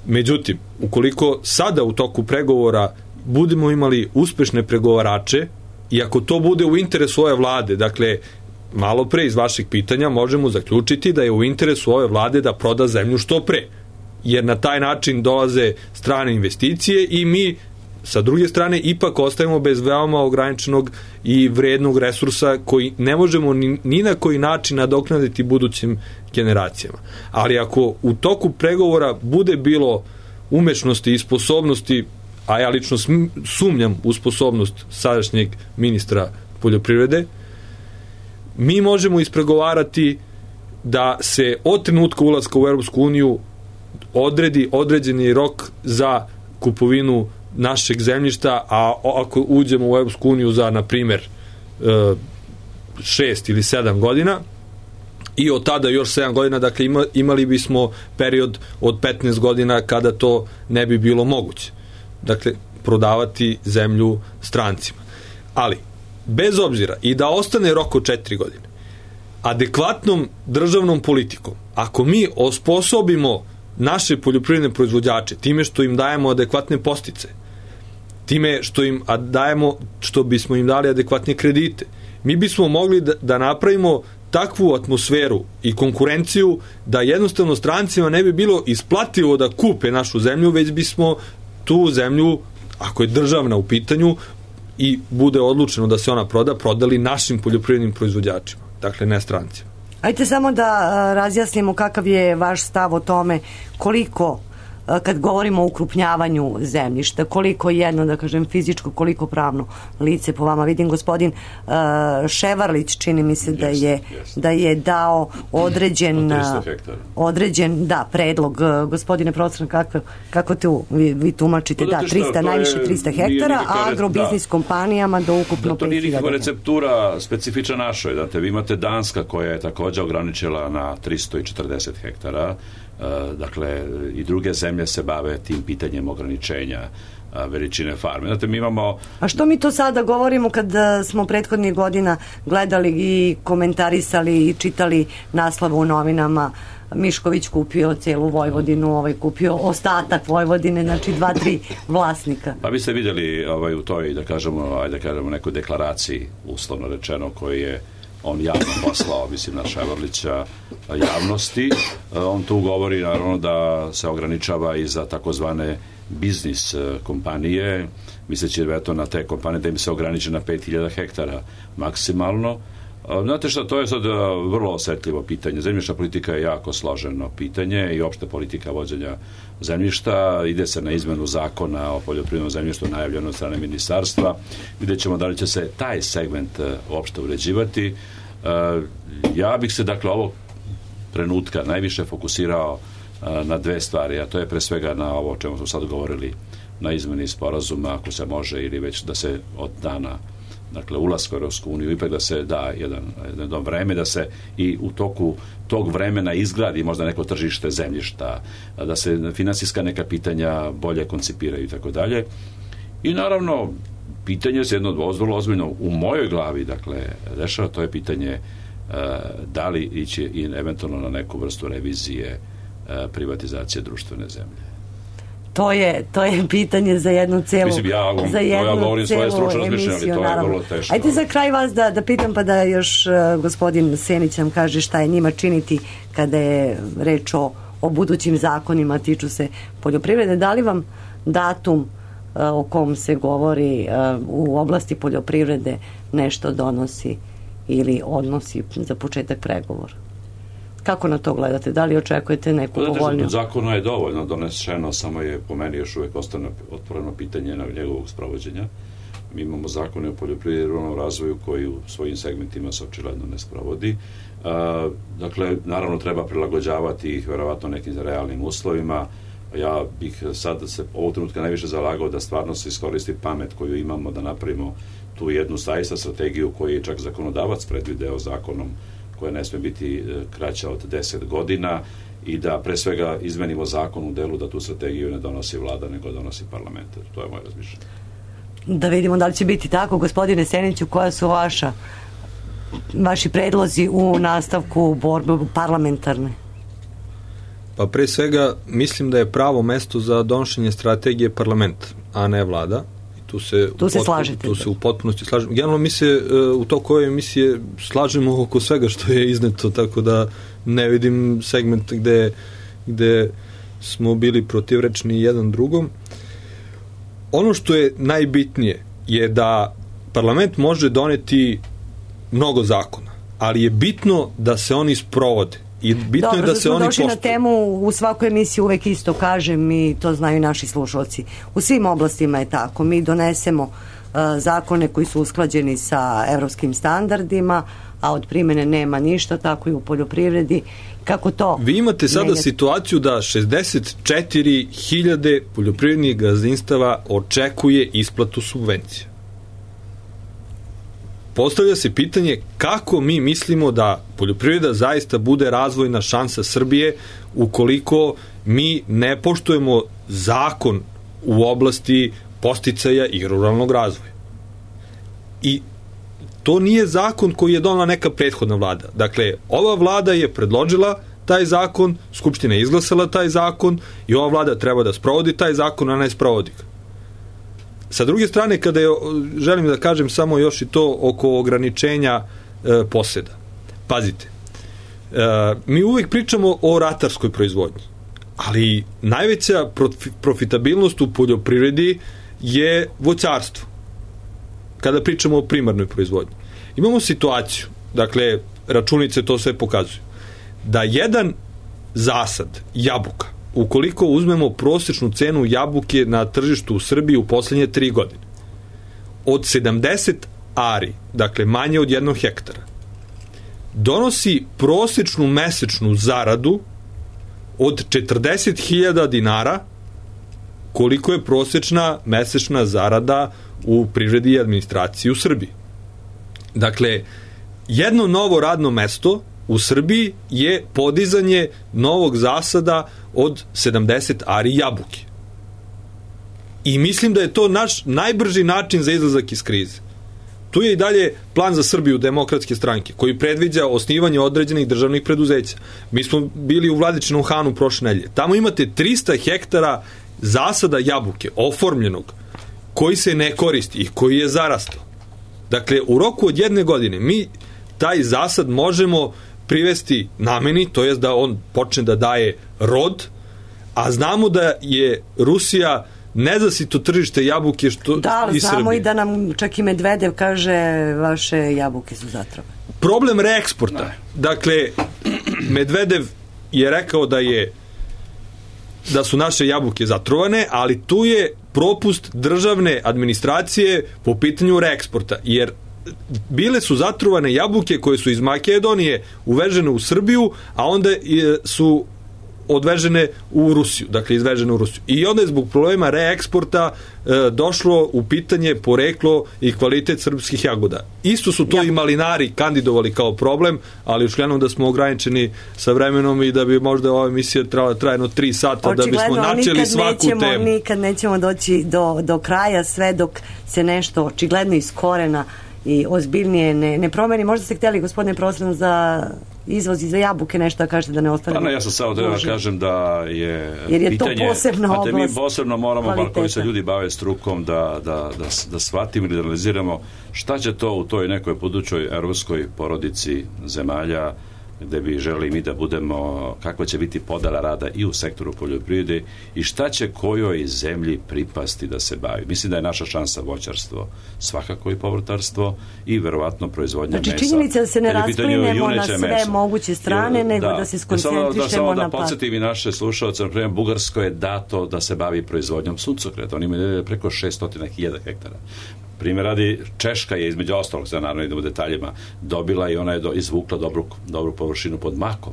Speaker 7: Međutim, ukoliko sada u toku pregovora budemo imali uspešne pregovarače i ako to bude u interesu ove vlade, dakle, malo pre iz vašeg pitanja možemo zaključiti da je u interesu ove vlade da proda zemlju što pre, jer na taj način dolaze strane investicije i mi sa druge strane ipak ostajemo bez veoma ograničenog i vrednog resursa koji ne možemo ni, ni na koji način nadoknaditi budućim generacijama. Ali ako u toku pregovora bude bilo umešnosti i sposobnosti, a ja lično sumnjam u sposobnost sadašnjeg ministra poljoprivrede, mi možemo ispregovarati da se od trenutka ulaska u Europsku uniju odredi određeni rok za kupovinu našeg zemljišta, a ako uđemo u Europsku uniju za, na primjer, šest ili sedam godina i od tada još sedam godina, dakle ima, imali bismo period od petnaest godina kada to ne bi bilo moguće. Dakle, prodavati zemlju strancima. Ali, bez obzira i da ostane rok od četiri godine, adekvatnom državnom politikom, ako mi osposobimo naše poljoprivredne proizvođače time što im dajemo adekvatne postice, time što im dajemo, što bismo im dali adekvatne kredite, mi bismo mogli da, da napravimo takvu atmosferu i konkurenciju da jednostavno strancima ne bi bilo isplativo da kupe našu zemlju, već bismo tu zemlju, ako je državna u pitanju i bude odlučeno da se ona proda, prodali našim poljoprivrednim proizvođačima, dakle ne strancima.
Speaker 5: Ajde samo da razjasnimo kakav je vaš stav o tome koliko, kad govorimo o ukrupnjavanju zemljišta, koliko jedno, da kažem, fizičko, koliko pravno lice po vama. Vidim gospodin uh, Ševarlić, čini mi se da je, yes, da je dao određen određen, da, predlog. Gospodine profesor, kako, kako tu vi, vi tumačite? Da, trista, najviše trista hektara, a agrobiznis da. kompanijama do ukupno
Speaker 6: to nije nikakva receptura specifična našoj. Date, vi imate Danska koja je također ograničila na tristo četrdeset hektara. Dakle, i druge zemlje se bave tim pitanjem ograničenja veličine farme. Znate, mi imamo...
Speaker 5: A što mi to sada govorimo kad smo prethodnih godina gledali i komentarisali i čitali naslove u novinama, Mišković kupio celu Vojvodinu, ovaj kupio ostatak Vojvodine, znači dva, tri vlasnika.
Speaker 6: Pa vi ste vidjeli ovaj, u toj, da kažemo, ajde da kažemo, nekoj deklaraciji, uslovno rečeno, koji je on javno poslao, mislim, na Ševarlića javnosti. On tu govori, naravno, da se ograničava i za takozvane biznis kompanije, misleći da je to na te kompanije da im se ograniče na pet hiljada hektara maksimalno. Znate šta, to je sad vrlo osetljivo pitanje. Zemljišna politika je jako složeno pitanje i opšte politika vođenja zemljišta. Ide se na izmenu zakona o poljoprivrednom zemljištu najavljeno od strane ministarstva. Vidjet ćemo da li će se taj segment uopšte uređivati. Ja bih se, dakle, ovog trenutka najviše fokusirao na dve stvari, a to je pre svega na ovo o čemu smo sad govorili, na izmeni sporazuma, ako se može, ili već da se od dana, dakle, ulaska u Europsku uniju, ipak da se da jedan, jedno vreme, da se i u toku tog vremena izgradi možda neko tržište zemljišta, da se finansijska neka pitanja bolje koncipiraju i tako dalje. I naravno, pitanje se jedno vrlo ozbiljno u mojoj glavi, dakle, dešava, to je pitanje uh, da li ići i eventualno na neku vrstu revizije uh, privatizacije društvene zemlje.
Speaker 5: To je, to je pitanje za jednu celu,
Speaker 6: Mislim, ja,
Speaker 5: za jednu
Speaker 6: ja govorim svoje stručno razmišljanje, ali to
Speaker 5: naravno.
Speaker 6: je vrlo teško.
Speaker 5: Ajde za kraj vas da, da pitam, pa da još uh, gospodin Senić nam kaže šta je njima činiti kada je reč o, o budućim zakonima, tiču se poljoprivrede. Da li vam datum uh, o kom se govori uh, u oblasti poljoprivrede nešto donosi ili odnosi za početak pregovora? Kako na to gledate? Da li očekujete neku povoljniju?
Speaker 6: Zakona je dovoljno donešeno, samo je po meni još uvijek ostane otvoreno pitanje na njegovog sprovođenja. Mi imamo zakone o poljoprivredi i ruralnom razvoju koji u svojim segmentima se očigledno ne sprovodi. A, dakle, naravno treba prilagođavati ih verovatno nekim realnim uslovima. Ja bih sad se ovog trenutka najviše zalagao da stvarno se iskoristi pamet koju imamo, da napravimo tu jednu zaista strategiju koju je čak zakonodavac predvideo zakonom, koja ne sme biti kraća od deset godina, i da pre svega izmenimo zakon u delu da tu strategiju ne donosi vlada, nego donosi parlament. To je moje razmišljanje.
Speaker 5: Da vidimo da li će biti tako. Gospodine Seniću, koja su vaša vaši predlozi u nastavku borbe parlamentarne?
Speaker 7: Pa pre svega mislim da je pravo mesto za donošenje strategije parlament, a ne vlada. Tu se,
Speaker 5: tu se
Speaker 7: potpuno,
Speaker 5: slažete.
Speaker 7: Tu se u potpunosti slažemo. Generalno mi se u toku ove emisije slažemo oko svega što je izneto, tako da ne vidim segment gde, gde smo bili protivrečni jedan drugom. Ono što je najbitnije je da parlament može doneti mnogo zakona, ali je bitno da se oni sprovode. I bitno
Speaker 5: Dobro,
Speaker 7: je da se oni poštuju.
Speaker 5: Dobro, na temu u svakoj emisiji uvek isto kažem, i to znaju naši slušalci. U svim oblastima je tako. Mi donesemo uh, zakone koji su usklađeni sa evropskim standardima, a od primene nema ništa, tako i u poljoprivredi. Kako to?
Speaker 7: Vi imate sada
Speaker 5: menjati?
Speaker 7: situaciju da šezdeset četiri hiljade poljoprivrednih gazdinstava očekuje isplatu subvencija. Postavlja se pitanje kako mi mislimo da poljoprivreda zaista bude razvojna šansa Srbije ukoliko mi ne poštujemo zakon u oblasti podsticaja i ruralnog razvoja. I to nije zakon koji je donela neka prethodna vlada. Dakle, ova vlada je predložila taj zakon, Skupština je izglasala taj zakon i ova vlada treba da sprovodi taj zakon, a ne sprovodi ga. Sa druge strane, kada je, želim da kažem samo još i to oko ograničenja e, poseda. Pazite, e, mi uvijek pričamo o ratarskoj proizvodnji, ali najveća profitabilnost u poljoprivredi je voćarstvo. Kada pričamo o primarnoj proizvodnji. Imamo situaciju, dakle, računice to sve pokazuju, da jedan zasad jabuka, ukoliko uzmemo prosječnu cenu jabuke na tržištu u Srbiji u poslednje tri godine, od sedamdeset ari, dakle manje od jednog hektara, donosi prosječnu mesečnu zaradu od četrdeset hiljada dinara, koliko je prosječna mesečna zarada u privredi i administraciji u Srbiji. Dakle, jedno novo radno mesto u Srbiji je podizanje novog zasada od sedamdeset ari jabuke. I mislim da je to naš najbrži način za izlazak iz krize. Tu je i dalje plan za Srbiju Demokratske stranke, koji predviđa osnivanje određenih državnih preduzeća. Mi smo bili u Vladičinom Hanu prošle nedelje. Tamo imate trista hektara zasada jabuke, oformljenog, koji se ne koristi i koji je zarastao. Dakle, u roku od jedne godine mi taj zasad možemo privesti nameni, to jest da on počne da daje rod, a znamo da je Rusija nezasito tržište jabuke što
Speaker 5: da,
Speaker 7: i
Speaker 5: znamo
Speaker 7: Srbije.
Speaker 5: I da nam čak i Medvedev kaže vaše jabuke su zatrovane.
Speaker 7: Problem reeksporta. Ne. Dakle, Medvedev je rekao da je da su naše jabuke zatrovane, ali tu je propust državne administracije po pitanju reeksporta, jer bile su zatrovane jabuke koje su iz Makedonije uvežene u Srbiju, a onda su odvežene u Rusiju, dakle izvežene u Rusiju. I onda je zbog problema reeksporta e, došlo u pitanje poreklo i kvalitet srpskih jagoda. Isto su to ja. i malinari kandidovali kao problem, ali ušljeno da smo ograničeni sa vremenom i da bi možda ova emisija trebala trajno tri sata očigledno, da bismo načeli svaku
Speaker 5: nećemo,
Speaker 7: temu.
Speaker 5: Nikad nećemo doći do, do kraja sve dok se nešto očigledno iz korena i ozbiljnije ne, ne promeni. Možda ste htjeli, gospodine Proslan, za izvoz i za jabuke nešto da kažete da ne ostane.
Speaker 6: Pa ne, ja sam samo treba da kažem da je,
Speaker 5: jer je
Speaker 6: pitanje,
Speaker 5: to posebna oblast.
Speaker 6: Mi posebno moramo, bar koji se ljudi bave strukom, da, da, da, da shvatimo ili da analiziramo šta će to u toj nekoj budućoj evropskoj porodici zemalja gde bi želi mi da budemo, kakva će biti podela rada i u sektoru poljoprivrede i šta će kojoj zemlji pripasti da se bavi. Mislim da je naša šansa voćarstvo, svakako i povrtarstvo i verovatno proizvodnja
Speaker 5: znači,
Speaker 6: mesa.
Speaker 5: Znači činjenica da se ne rasplinemo na sve
Speaker 6: mesa.
Speaker 5: moguće strane, Jer, nego da, da se skoncentrišemo
Speaker 6: da, samo
Speaker 5: na
Speaker 6: da podsjetim i naše slušalce, na primjer Bugarsko je dato da se bavi proizvodnjom suncokreta. Oni imaju preko šesto hiljada hektara. Primjer radi, Češka je između ostalog, sada naravno idemo u detaljima, dobila i ona je do, izvukla dobru, dobru površinu pod makom.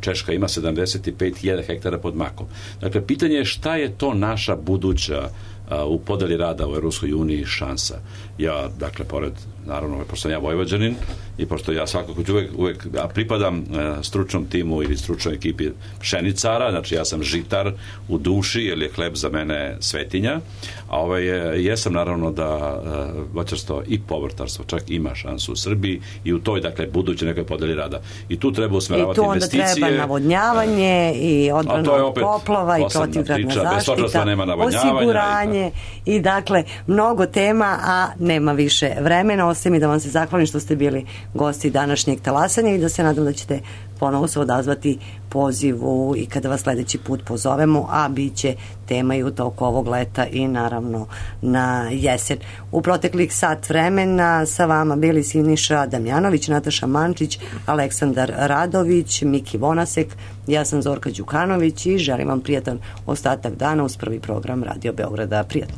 Speaker 6: Češka ima sedamdeset pet hiljada hektara pod makom. Dakle, pitanje je šta je to naša buduća a, u podeli rada u Europskoj uniji šansa. Ja, dakle, pored, naravno, pošto sam ja Vojvođanin i pošto ja svakako ću uvek, uvek ja pripadam a, stručnom timu ili stručnoj ekipi pšenicara, znači ja sam žitar u duši, jer je hleb za mene svetinja, a ovaj je, jesam naravno da a, voćarstvo i povrtarstvo čak ima šansu u Srbiji i u toj, dakle, budućoj nekoj podeli rada. I tu treba usmeravati investicije.
Speaker 5: I tu onda treba navodnjavanje i odbrana od poplava i protivgradna zaštita, osiguranje i dakle mnogo tema, a nema više vremena. Ostaje mi da vam se zahvalim što ste bili gosti današnjeg talasanja i da se nadam da ćete ponovo se odazvati pozivu i kada vas sledeći put pozovemo, a bit će tema i u toku ovog leta i naravno na jesen. U proteklih sat vremena sa vama bili Siniša Damjanović, Nataša Mančić, Aleksandar Radović, Miki Vonasek, ja sam Zorka Đukanović i želim vam prijatan ostatak dana uz prvi program Radio Beograda. Prijatno.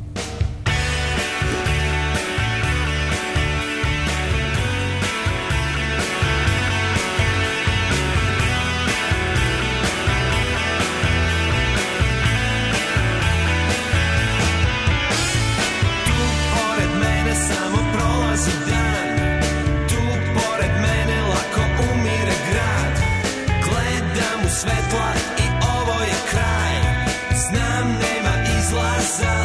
Speaker 13: Svetla i ovo je kraj, znam nema izlaza.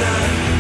Speaker 13: dan.